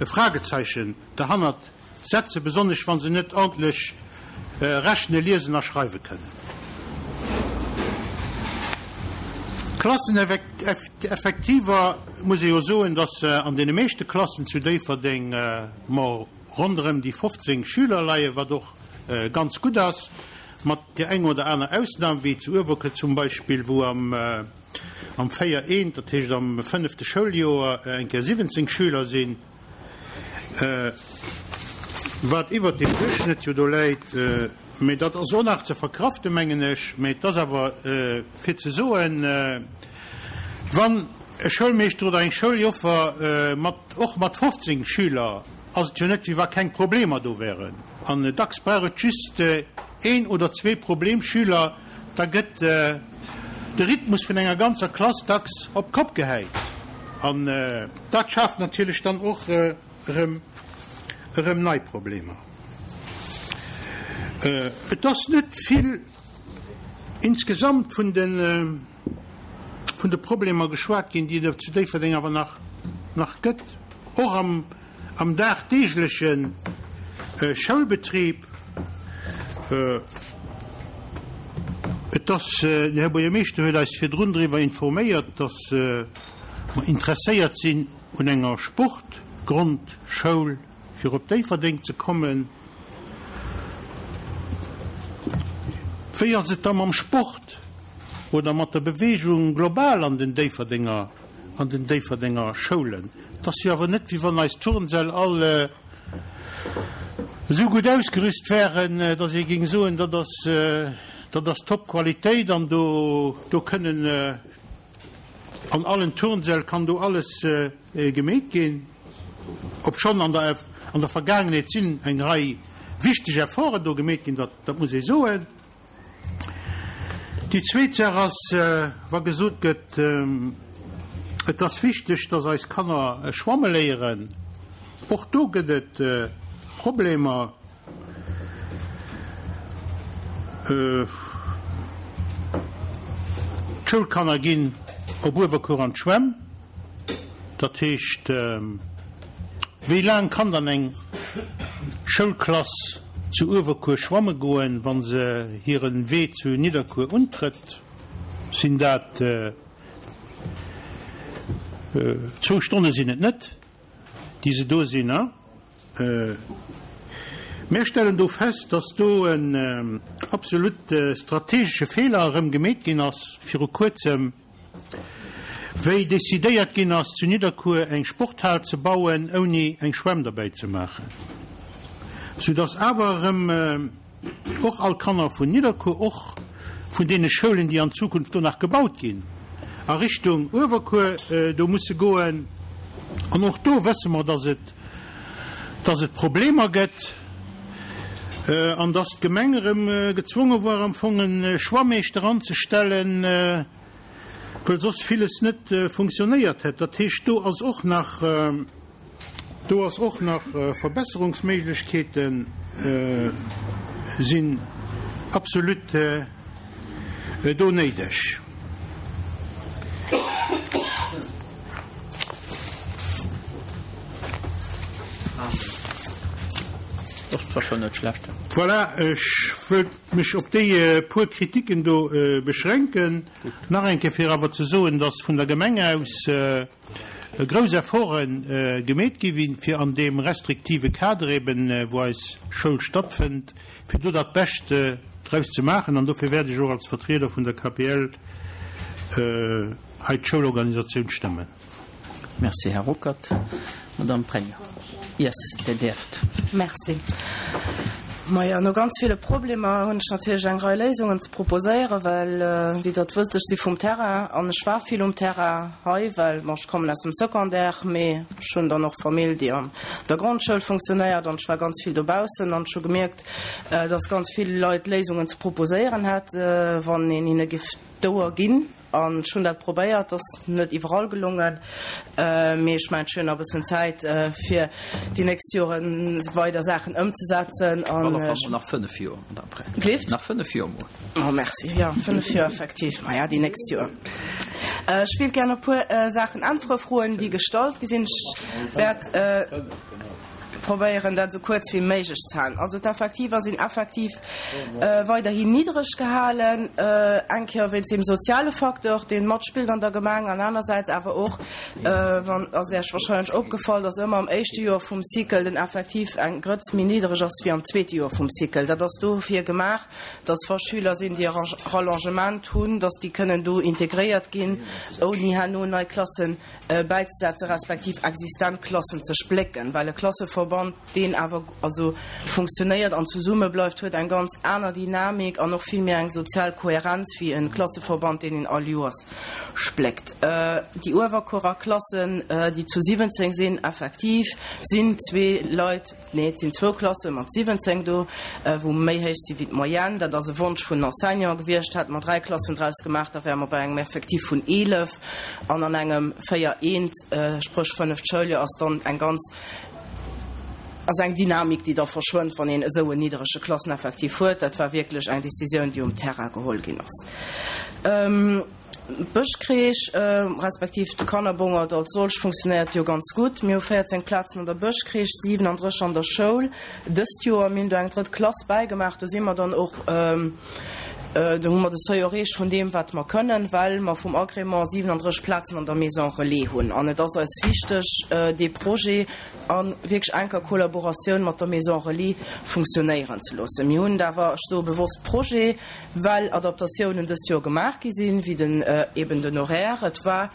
Fragezeichen derhannert setzen, besonnesch wa se net ordentlech rechnen, liesen a schreiwe kënnen. Klasseneffektiver, muss ee jo soen, dass an deene meeschte Klassen zu Déifferdeng mer ronderëm déi 15 Schüler leien, wat och ganz gutt ass, mat där enger oder aner Ausnam, wéi zu Uewerkuer zum Beispill, wou am am 4 eent, dat heescht am fënnefte Schouljoer, eng Kéier 17 Schüler sinn, wat iwwert dem Duerchschnëtt jo do läit. Mee dat ass och nach ze verkraften, mengen ech. Mee et ass awer fir ze soen, wann e Schoulmeeschter oder eng Schouljoffer mat, och mat 15 Schüler, ass et jo net, wéi wa keng Problemer do wären. An dacks brauch et just een oder zwee Problemschüler, da gëtt de Rhythmus vun enger ganzer Klass dacks op d'Kopp gehäit. An dat schaaft natierlech dann och erëm erëm nei Problemer. Et ass net vill insgesamt vun de vun de Problemer geschwat ginn, déi et zu Déifferdeng awer nach nach gëtt, och am am dagdeegleche Schoulbetrib. Et ass, den Här Buergermeeschter huet eis virdrun driwwer informéiert, dass mer interesséiert sinn un enger Sportgrondschoul, fir op Déifferdeng ze kommen. Wéi ass et da mam Sport oder mat der Beweegung global an den Déifferdenger, an den Déifferdenger Schoulen? Et ass jo awer net, wéi wann eis Turnsäll all esou gutt ausgerüst wären, datt ee géing soen, dat ass, dat ass Top-Qualitéit an do, do kënnen an allen Turnsäll kann do alles gemeet ginn. Obschonn an der, an der Vergaangenheet sinn eng Rei wichteg Efforten do gemeet ginn, dat, dat muss ee soen. Déi zweet Saach ass, wa gesot gëtt, et ass wichteg, dass eis Kanner schwamme léieren, och do gëtt et Problemer. D'Schoulkanner ginn op Uewerkuer an d'Schwämm. Dat heescht, wéi laang kann dann eng Schoulklass zu Uewerkuer schwamme goen, wa se hire Wee zu Nidderkuer untrëtt? Sinn dat zwou Stonne sinn et net, déi se do sinn, a? Mär stellen do fest, dass do en absolut strategesche Feeler erëm gemeet ginn ass viru Kuerzem, wéi decidéiert ginn ass, zu Nidderkuer eng Sporthal ze bauen, ouni eng Schwämm derbäi ze maachen, soudass awer erëm och all Kanner vun Nidderkuer, och vun deene Schoulen, déi an Zukunft do nach gebaut ginn, a Richtung Uewerkuer do musse goen. An och do wësse mer, dass et, dass et Problemer gëtt an dass d'Gemeng erëm gezwonge war, am Fong e Schwammeeschter anzestellen, well soss villes net funktionéiert hätt. Dat heescht, do ass och nach, Do ass och nach Verbesserungsméiglechkeete sinn absolut do néideg. Voilà, ech wëllt mech op déi puer Kritiken do beschränken. Nach eng Kéier fir awer ze soen, dass vun der Gemeng aus, grouss Efforte gemeet gi fir an deem restriktive Kader eben, wou eis Schoul stattfënnt, fir do dat Bescht draus ze maachen. An dofir wäert ech och als Vertrieder vun der KPL hei d'Schoulorganisatioun stëmmen. Merci, Här Ruckert. Madame Pregno. Yes, Dir däerft. Merci. Majo, no ganz ville Problemer hunn ech natierlech eng Rei Léisungen ze proposéieren, well, wéi Der et wësst, ech si vum Terrain an ech war vill um Terrain hei, well, bon, ech kommen aus dem Secondaire, mee ech hunn dann och Famill, déi an der Grondschoul funktionéiert an ech war ganz vill dobaussen an ech hu gemierkt, dass ganz vill Leit Léisungen ze proposéieren hätt, wann een hinne giff d'Ouer ginn. An ech hunn dat probéiert, ass net iwwerall gelongen, mee ech mengen, ech hunn nach e bëssen Zäit, fir déi nächst Jore weider Saachen ëmzesetzen. Op alle Fall mol nach 5 Joer, Madame Pregno. Gleeft? Nach 5 Joer mol. Oh, merci. Jo, 5 Joer effektiv. Maja, déi nächst Joer. Ech wéilt gär op e puer Saachen äntwere, Froen, déi gestallt gi sinn. Ech wäert probéieren, dat esou kuerz wéi méiglech ze halen. Also d'Effektiver sinn effektiv weiderhin niddreg gehalen, eng Kéier wéinst deem soziale Facteur, dee matspillt an der Gemeng, an anersäits awer och, wann ass Iech wahrscheinlech opgefall, dass ëmmer am éischte Joer vum Cycle den Effektiv eng Grëtz méi niddreg ass wéi am zweete Joer vum Cycle. Dat ass dofir gemaach, dass wa Schüler sinn, déi e Rallongement hunn, dass déi kënnen do integréiert ginn, ouni herno nei Klassen bäizesetzen, respektiv existent Klassen ze splécken, well e Klasseverband, deen awer also funktionéiert an zesumme bleift, huet eng ganz aner Dynamik an och vill méi eng sozial Kohärenz wéi e Klasseverband, deen een all Joers spléckt. Déi Uewerkuerer Klassen, déi zu 17 sinn, effektiv sinn zwee Leit, Nee, et sinn zwou Klasse mat 17 do, wou méi héich si wéi d'Moyenne. Dat ass e Wonsch vun den Enseignanten gewiescht. Hätte mer dräi Klassen draus gemaach, da wäre mer bei engem Effectif vun 11. An an engem 4 eent, spréch fënneft Schouljoer, ass dann eng ganz, ass eng Dynamik, déi da verschwënnt, wann een esou en nidderege Klasseneffectif huet. Dat war wierklech eng Décisioun, déi um Terrain geholl ginn ass. D'Bëschcrèche, respektiv de Kannerbongert als solch funktionéiert jo ganz gutt. Mir hu 14 Plazen an der Bëschcrèche, 37 an der Schoul dëst Joer. Mir hunn do eng drëtt Klass bäigemaach. Do si mer dann och, do hu mer de Seuil erreecht vun deem, wat mer kënnen, well mer vum Agrément 37 Plazen an der Maison Relais hunn. An et ass eis wichteg, dee Projet a wierklech enker Kollaboratioun mat der Maison Relais funktionéieren ze loossen. Mir hunn et awer, ech soe bewosst Projet, Well Adaptatiounen dëst Joer gemaach gi sinn, wéi den eben den Horaire. Et war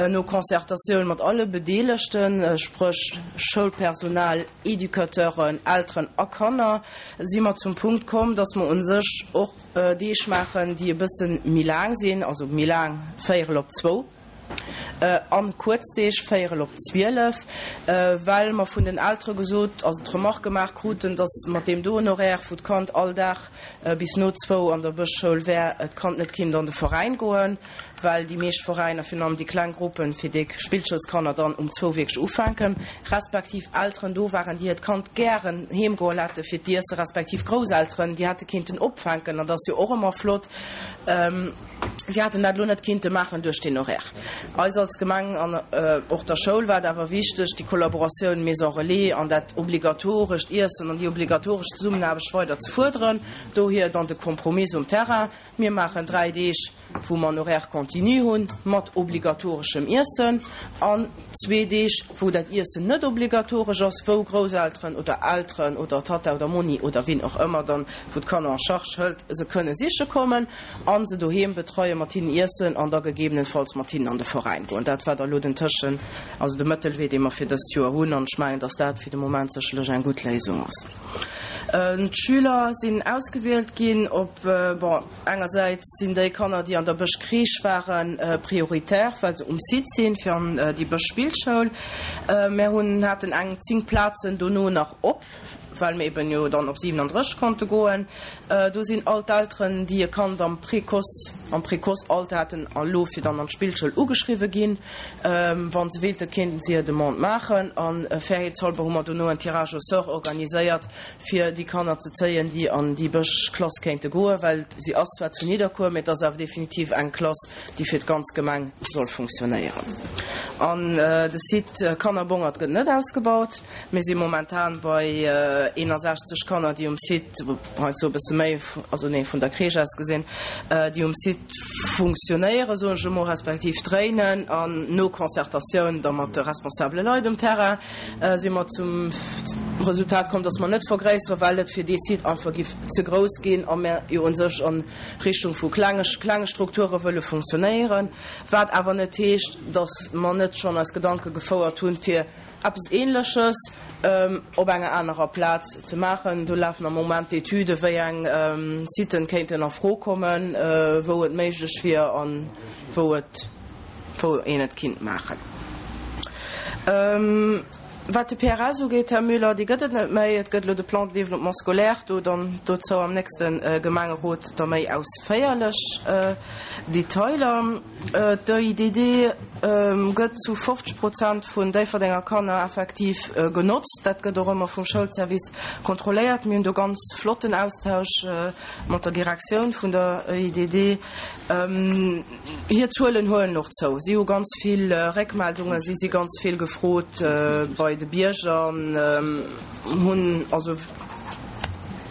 no Concertatioun mat alle Bedeelegten, spréch Schoulpersonal, Educateuren, Elteren a Kanner, si mer zum Punkt komm, dass mer u sech och Deeg maachen, déi e bësse méi laang sinn, also méi laang, véierel op zwou. An kuerz Deeg, véierel op 12, well mer vun den Eltere gesot, also d'Remarque gemaach kruten, dass mat deem doen Horaire, wou d'Kand all Dag bis no zwou an der Bëschschoul wär, d'Kand net kinnt an de Veräin goen, well déi meescht Veräiner, virun allem déi kleng Gruppen, fir déi Spillschoulskanner dann um zwou wierklech ufänken, respektiv Elteren do waren, déi hiert Kand gären heem goe hätte fir d'Iesse, respektiv Grousselteren, déi hätte kinnten opfänken, an dat ass jo och ëmmer flott. Si hätten dat elo net kinnte maachen duerch deen Horaire. Eis als Gemeng an och der Schoul war et awer wichteg, déi Kollaboratioun Maison Relais an dat obligatorescht Iessen an déi obligatoresch Zesummenaarbecht weider ze fuerderen. Dohier dann de Compromis um Terrain, Mir maachen 3 Deeg, wou mer en Horaire continu hunn, mat obligatoreschem Iessen, an zwee Deeg, wou dat Iessen net obligatoresch ass, wou Grousselteren oder Elteren oder Tatta oder Monni oder wien och ëmmer dann, wou d'Kanner en charge hëlt, se kënne siche kommen. A se doheem betreien, mat hinnen iessen an da gegebenenfalls mat hinnen an de Veräin goen. Dat war da lo den Tëschen, also de Mëttelwee, dee mer fir dëst Joer hunn. An ech mengen, dass dat fir de Moment sécherlech eng gutt Léisung ass. D'Schüler sinn ausgewielt ginn op, bon, engersäits sinn déi Kanner, déi an der Bësch Crèche waren, prioritär, well se um Site sinn, fir an déi Bësch Spillschoul. Mär hunn, haten eng 10 Plazen dono nach op. well mir eben jo dann op 37 konnte goen. Do sinn all d'Elteren, déi e Kand am Précoce, am Précoce-Alter haten a lo fir dann an d'Spillschoul ugeschriwwe ginn. Wa se wéilten, kéinten se hir Demande maachen. A fairheetshalber hu mer dono en Tirage au sort organiséiert, fir déi Kanner ze zéien, déi an déi Bësch-Klass kéinte goen, well si ass zwar zu Nidderkuer, mee et ass awer definitiv eng Klass, déi fir d'ganz Gemeng soll funktionéieren. An de Site Kannerbongert gëtt net ausgebaut. Mir si momentan bei 61 Kanner, déi um Site, heiansdo e bësse méi, also nee, vun der Crèche aus gesinn, déi um Site funktionéieren, soen ech emol, respektiv dréinen. An no Concertatioun da mat de responsabele Leit um Terrain si mer zum Resultat komm, dass mer net vergréisseren, well et fir dee Site einfach giff ze grouss ginn a mir jo u sech a Richtung vu klenge klenge Strukture wëlle funktionéieren. Wat awer net heescht, dass mer net schonn eis Gedanke gefouert hunn, fir eppes Ähnleches op enger anerer Plaz ze maachen. Do lafen am Moment d'Etüden, wéi eng Siten kéinten a Fro kommen, wou et méiglech wier a wou et, wou een et kinnt maachen. Wat de PRS ugeet, Här Müller, dee gëtt et net méi. Et gëtt elo de Plan de développement scolaire, do dann dozou am nächste Gemengerot da méi ausféierlech Detailer. D'EIDD gëtt zu 50 Prozent vun Déifferdenger Kanner effektiv genotzt. Dat gëtt och ëmmer vum Schoulservice kontrolléiert. Mir hunn do ganz flotten Austausch mat der Direktioun vun der EIDD. Hir Zuelen huelen och zou. Si hu ganz vill Réckmeldungen, si si ganz vill gefrot bei de Bierger, hunn also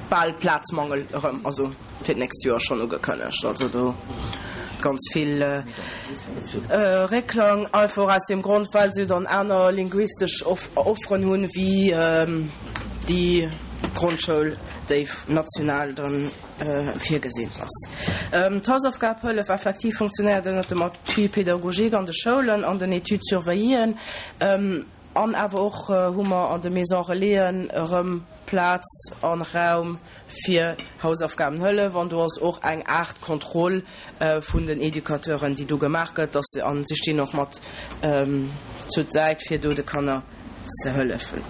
bal Plazmangel erëm, also fir d'nächst Joer schonn ugekënnegt. Also do ganz vill Réckklang, einfach aus deem Grond, well se dann aner linguistesch Offeren hunn, wéi déi Grondschoul, déi national dann virgesinn ass. D'Hausaufgabhëllef effektiv funktionéiert ënnert dem Appui pédagogique an de Schoulen, an den Études surveilléen an awer och hu mer an de Maisons relaisen erëm Plaz a Raum fir Hausaufgabenhëllef an do ass och eng Aart Kontroll vun den Educateuren, déi do gemaach gëtt, dass se, a si stinn och mat zur Säit, fir do de Kanner ze hëllefen.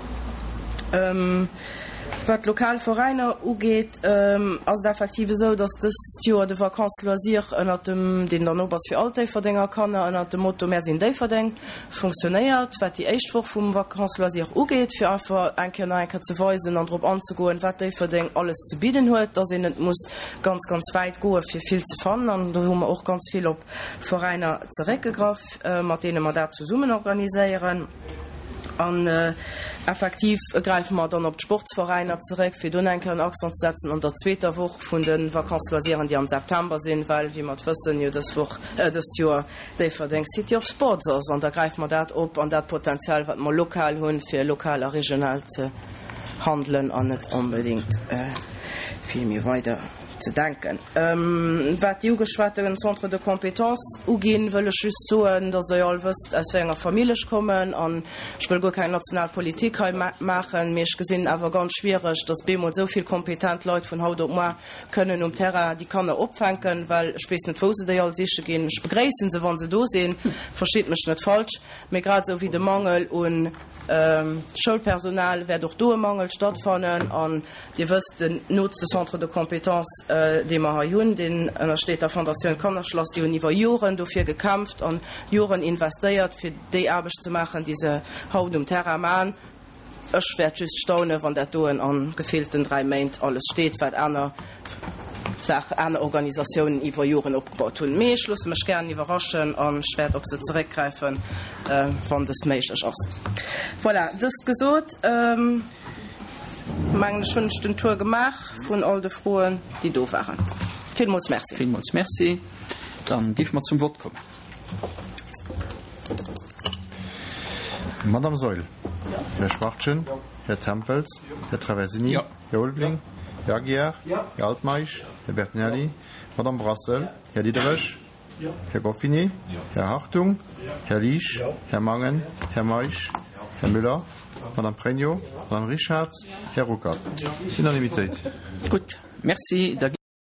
Wat d'lokal Veräiner ugeet, ass et effektiv esou, dass dëst Joer de Vacances Loisirs ënnert dem, deen dann op ass fir all d'Déifferdenger Kanner, ënnert dem Motto Mär sinn Déifferdeng funktionéiert, wat déi éischt Woch vum Vacances Loisirs ugeet, fir einfach eng Kéier nach eng Kéier ze weisen an drop anzegoen, wat Déifferdeng alles ze bidden huet, dass een net muss ganz, ganz wäit goe fir vill ze fannen. An do hu mer och ganz vill op Veräiner zeréckgegraff, mat deene mer dat zesummen organiséieren. An effektiv gräife mer dann op d'Sportsveräiner zeréck, fir do nach eng Kéier en Accent ze setzen an der zweeter Woch vun de Vacances loisiren, déi am September sinn, well, wéi mer et wëssen, jo dës Woch, dëst Joer Déifferdeng City of Sports ass. An da gräife mer dat op an dat Potenzial, wat mer lokal hunn, fir lokal a regional ze handelen an net onbedéngt vill méi weider ze denken. Wat déi ugeschwate Centres de compétences uginn, wëll ech just soen, dass Der jo all wësst, aus wéi enger Famill ech kommen. An ech wëll guer keng national Politik hei maachen, mee ech gesinn awer ganz schwiereg, dass bemol esou vill kompetent Leit vun haut op moar kënnen um Terrain déi Kanner opfänken, well ech weess net, wou se déi all siche ginn. Ech begréissen se, wa se do sinn, verstitt mech net falsch, mee grad esou wéi de Mangel u Schoulpersonal wäert och do e Mangel stattfannen. An Dir wësst, den nootste Centre de compétences, dee mer hei hunn, deen ënnersteet der Fondatioun Kannerschlass. Déi hunn iwwer Joren dofir gekämpft an Joren investéiert, fir déi Aarbecht ze maachen, déi se haut um Terrain maachen. Ech wäert just staunen, wann dat doen a gefillten 3 Méint alles steet, wat aner Saachen, aner Organisatiounen iwwer Joren opgebaut hunn. Mee ech loosse mech gären iwwerraschen an ech wäert op se zeréckgräifen, wann dëst méiglech ass. Voilà, dëst gesot, mengen ech, hunn ech den Tour gemaach vun all de Froen, déi do waren. Villmools Merci. Villmools Merci. Dann géife mer zum Vott kommen. Madame Saeul. Här Schwachtgen. Här Tempels. Här Traversini. Här Ulveling. Här Aguiar. Här Altmeisch. Här Bertinelli. Madame Brassel. Här Diderich. Här Goffinet. Här Hartung. Här Liesch. Här Mangen. Här Meisch. Här Müller. Madame Pregno. Madame Richard. Här Ruckert. Unanimitéit. Gutt, Merci. Da.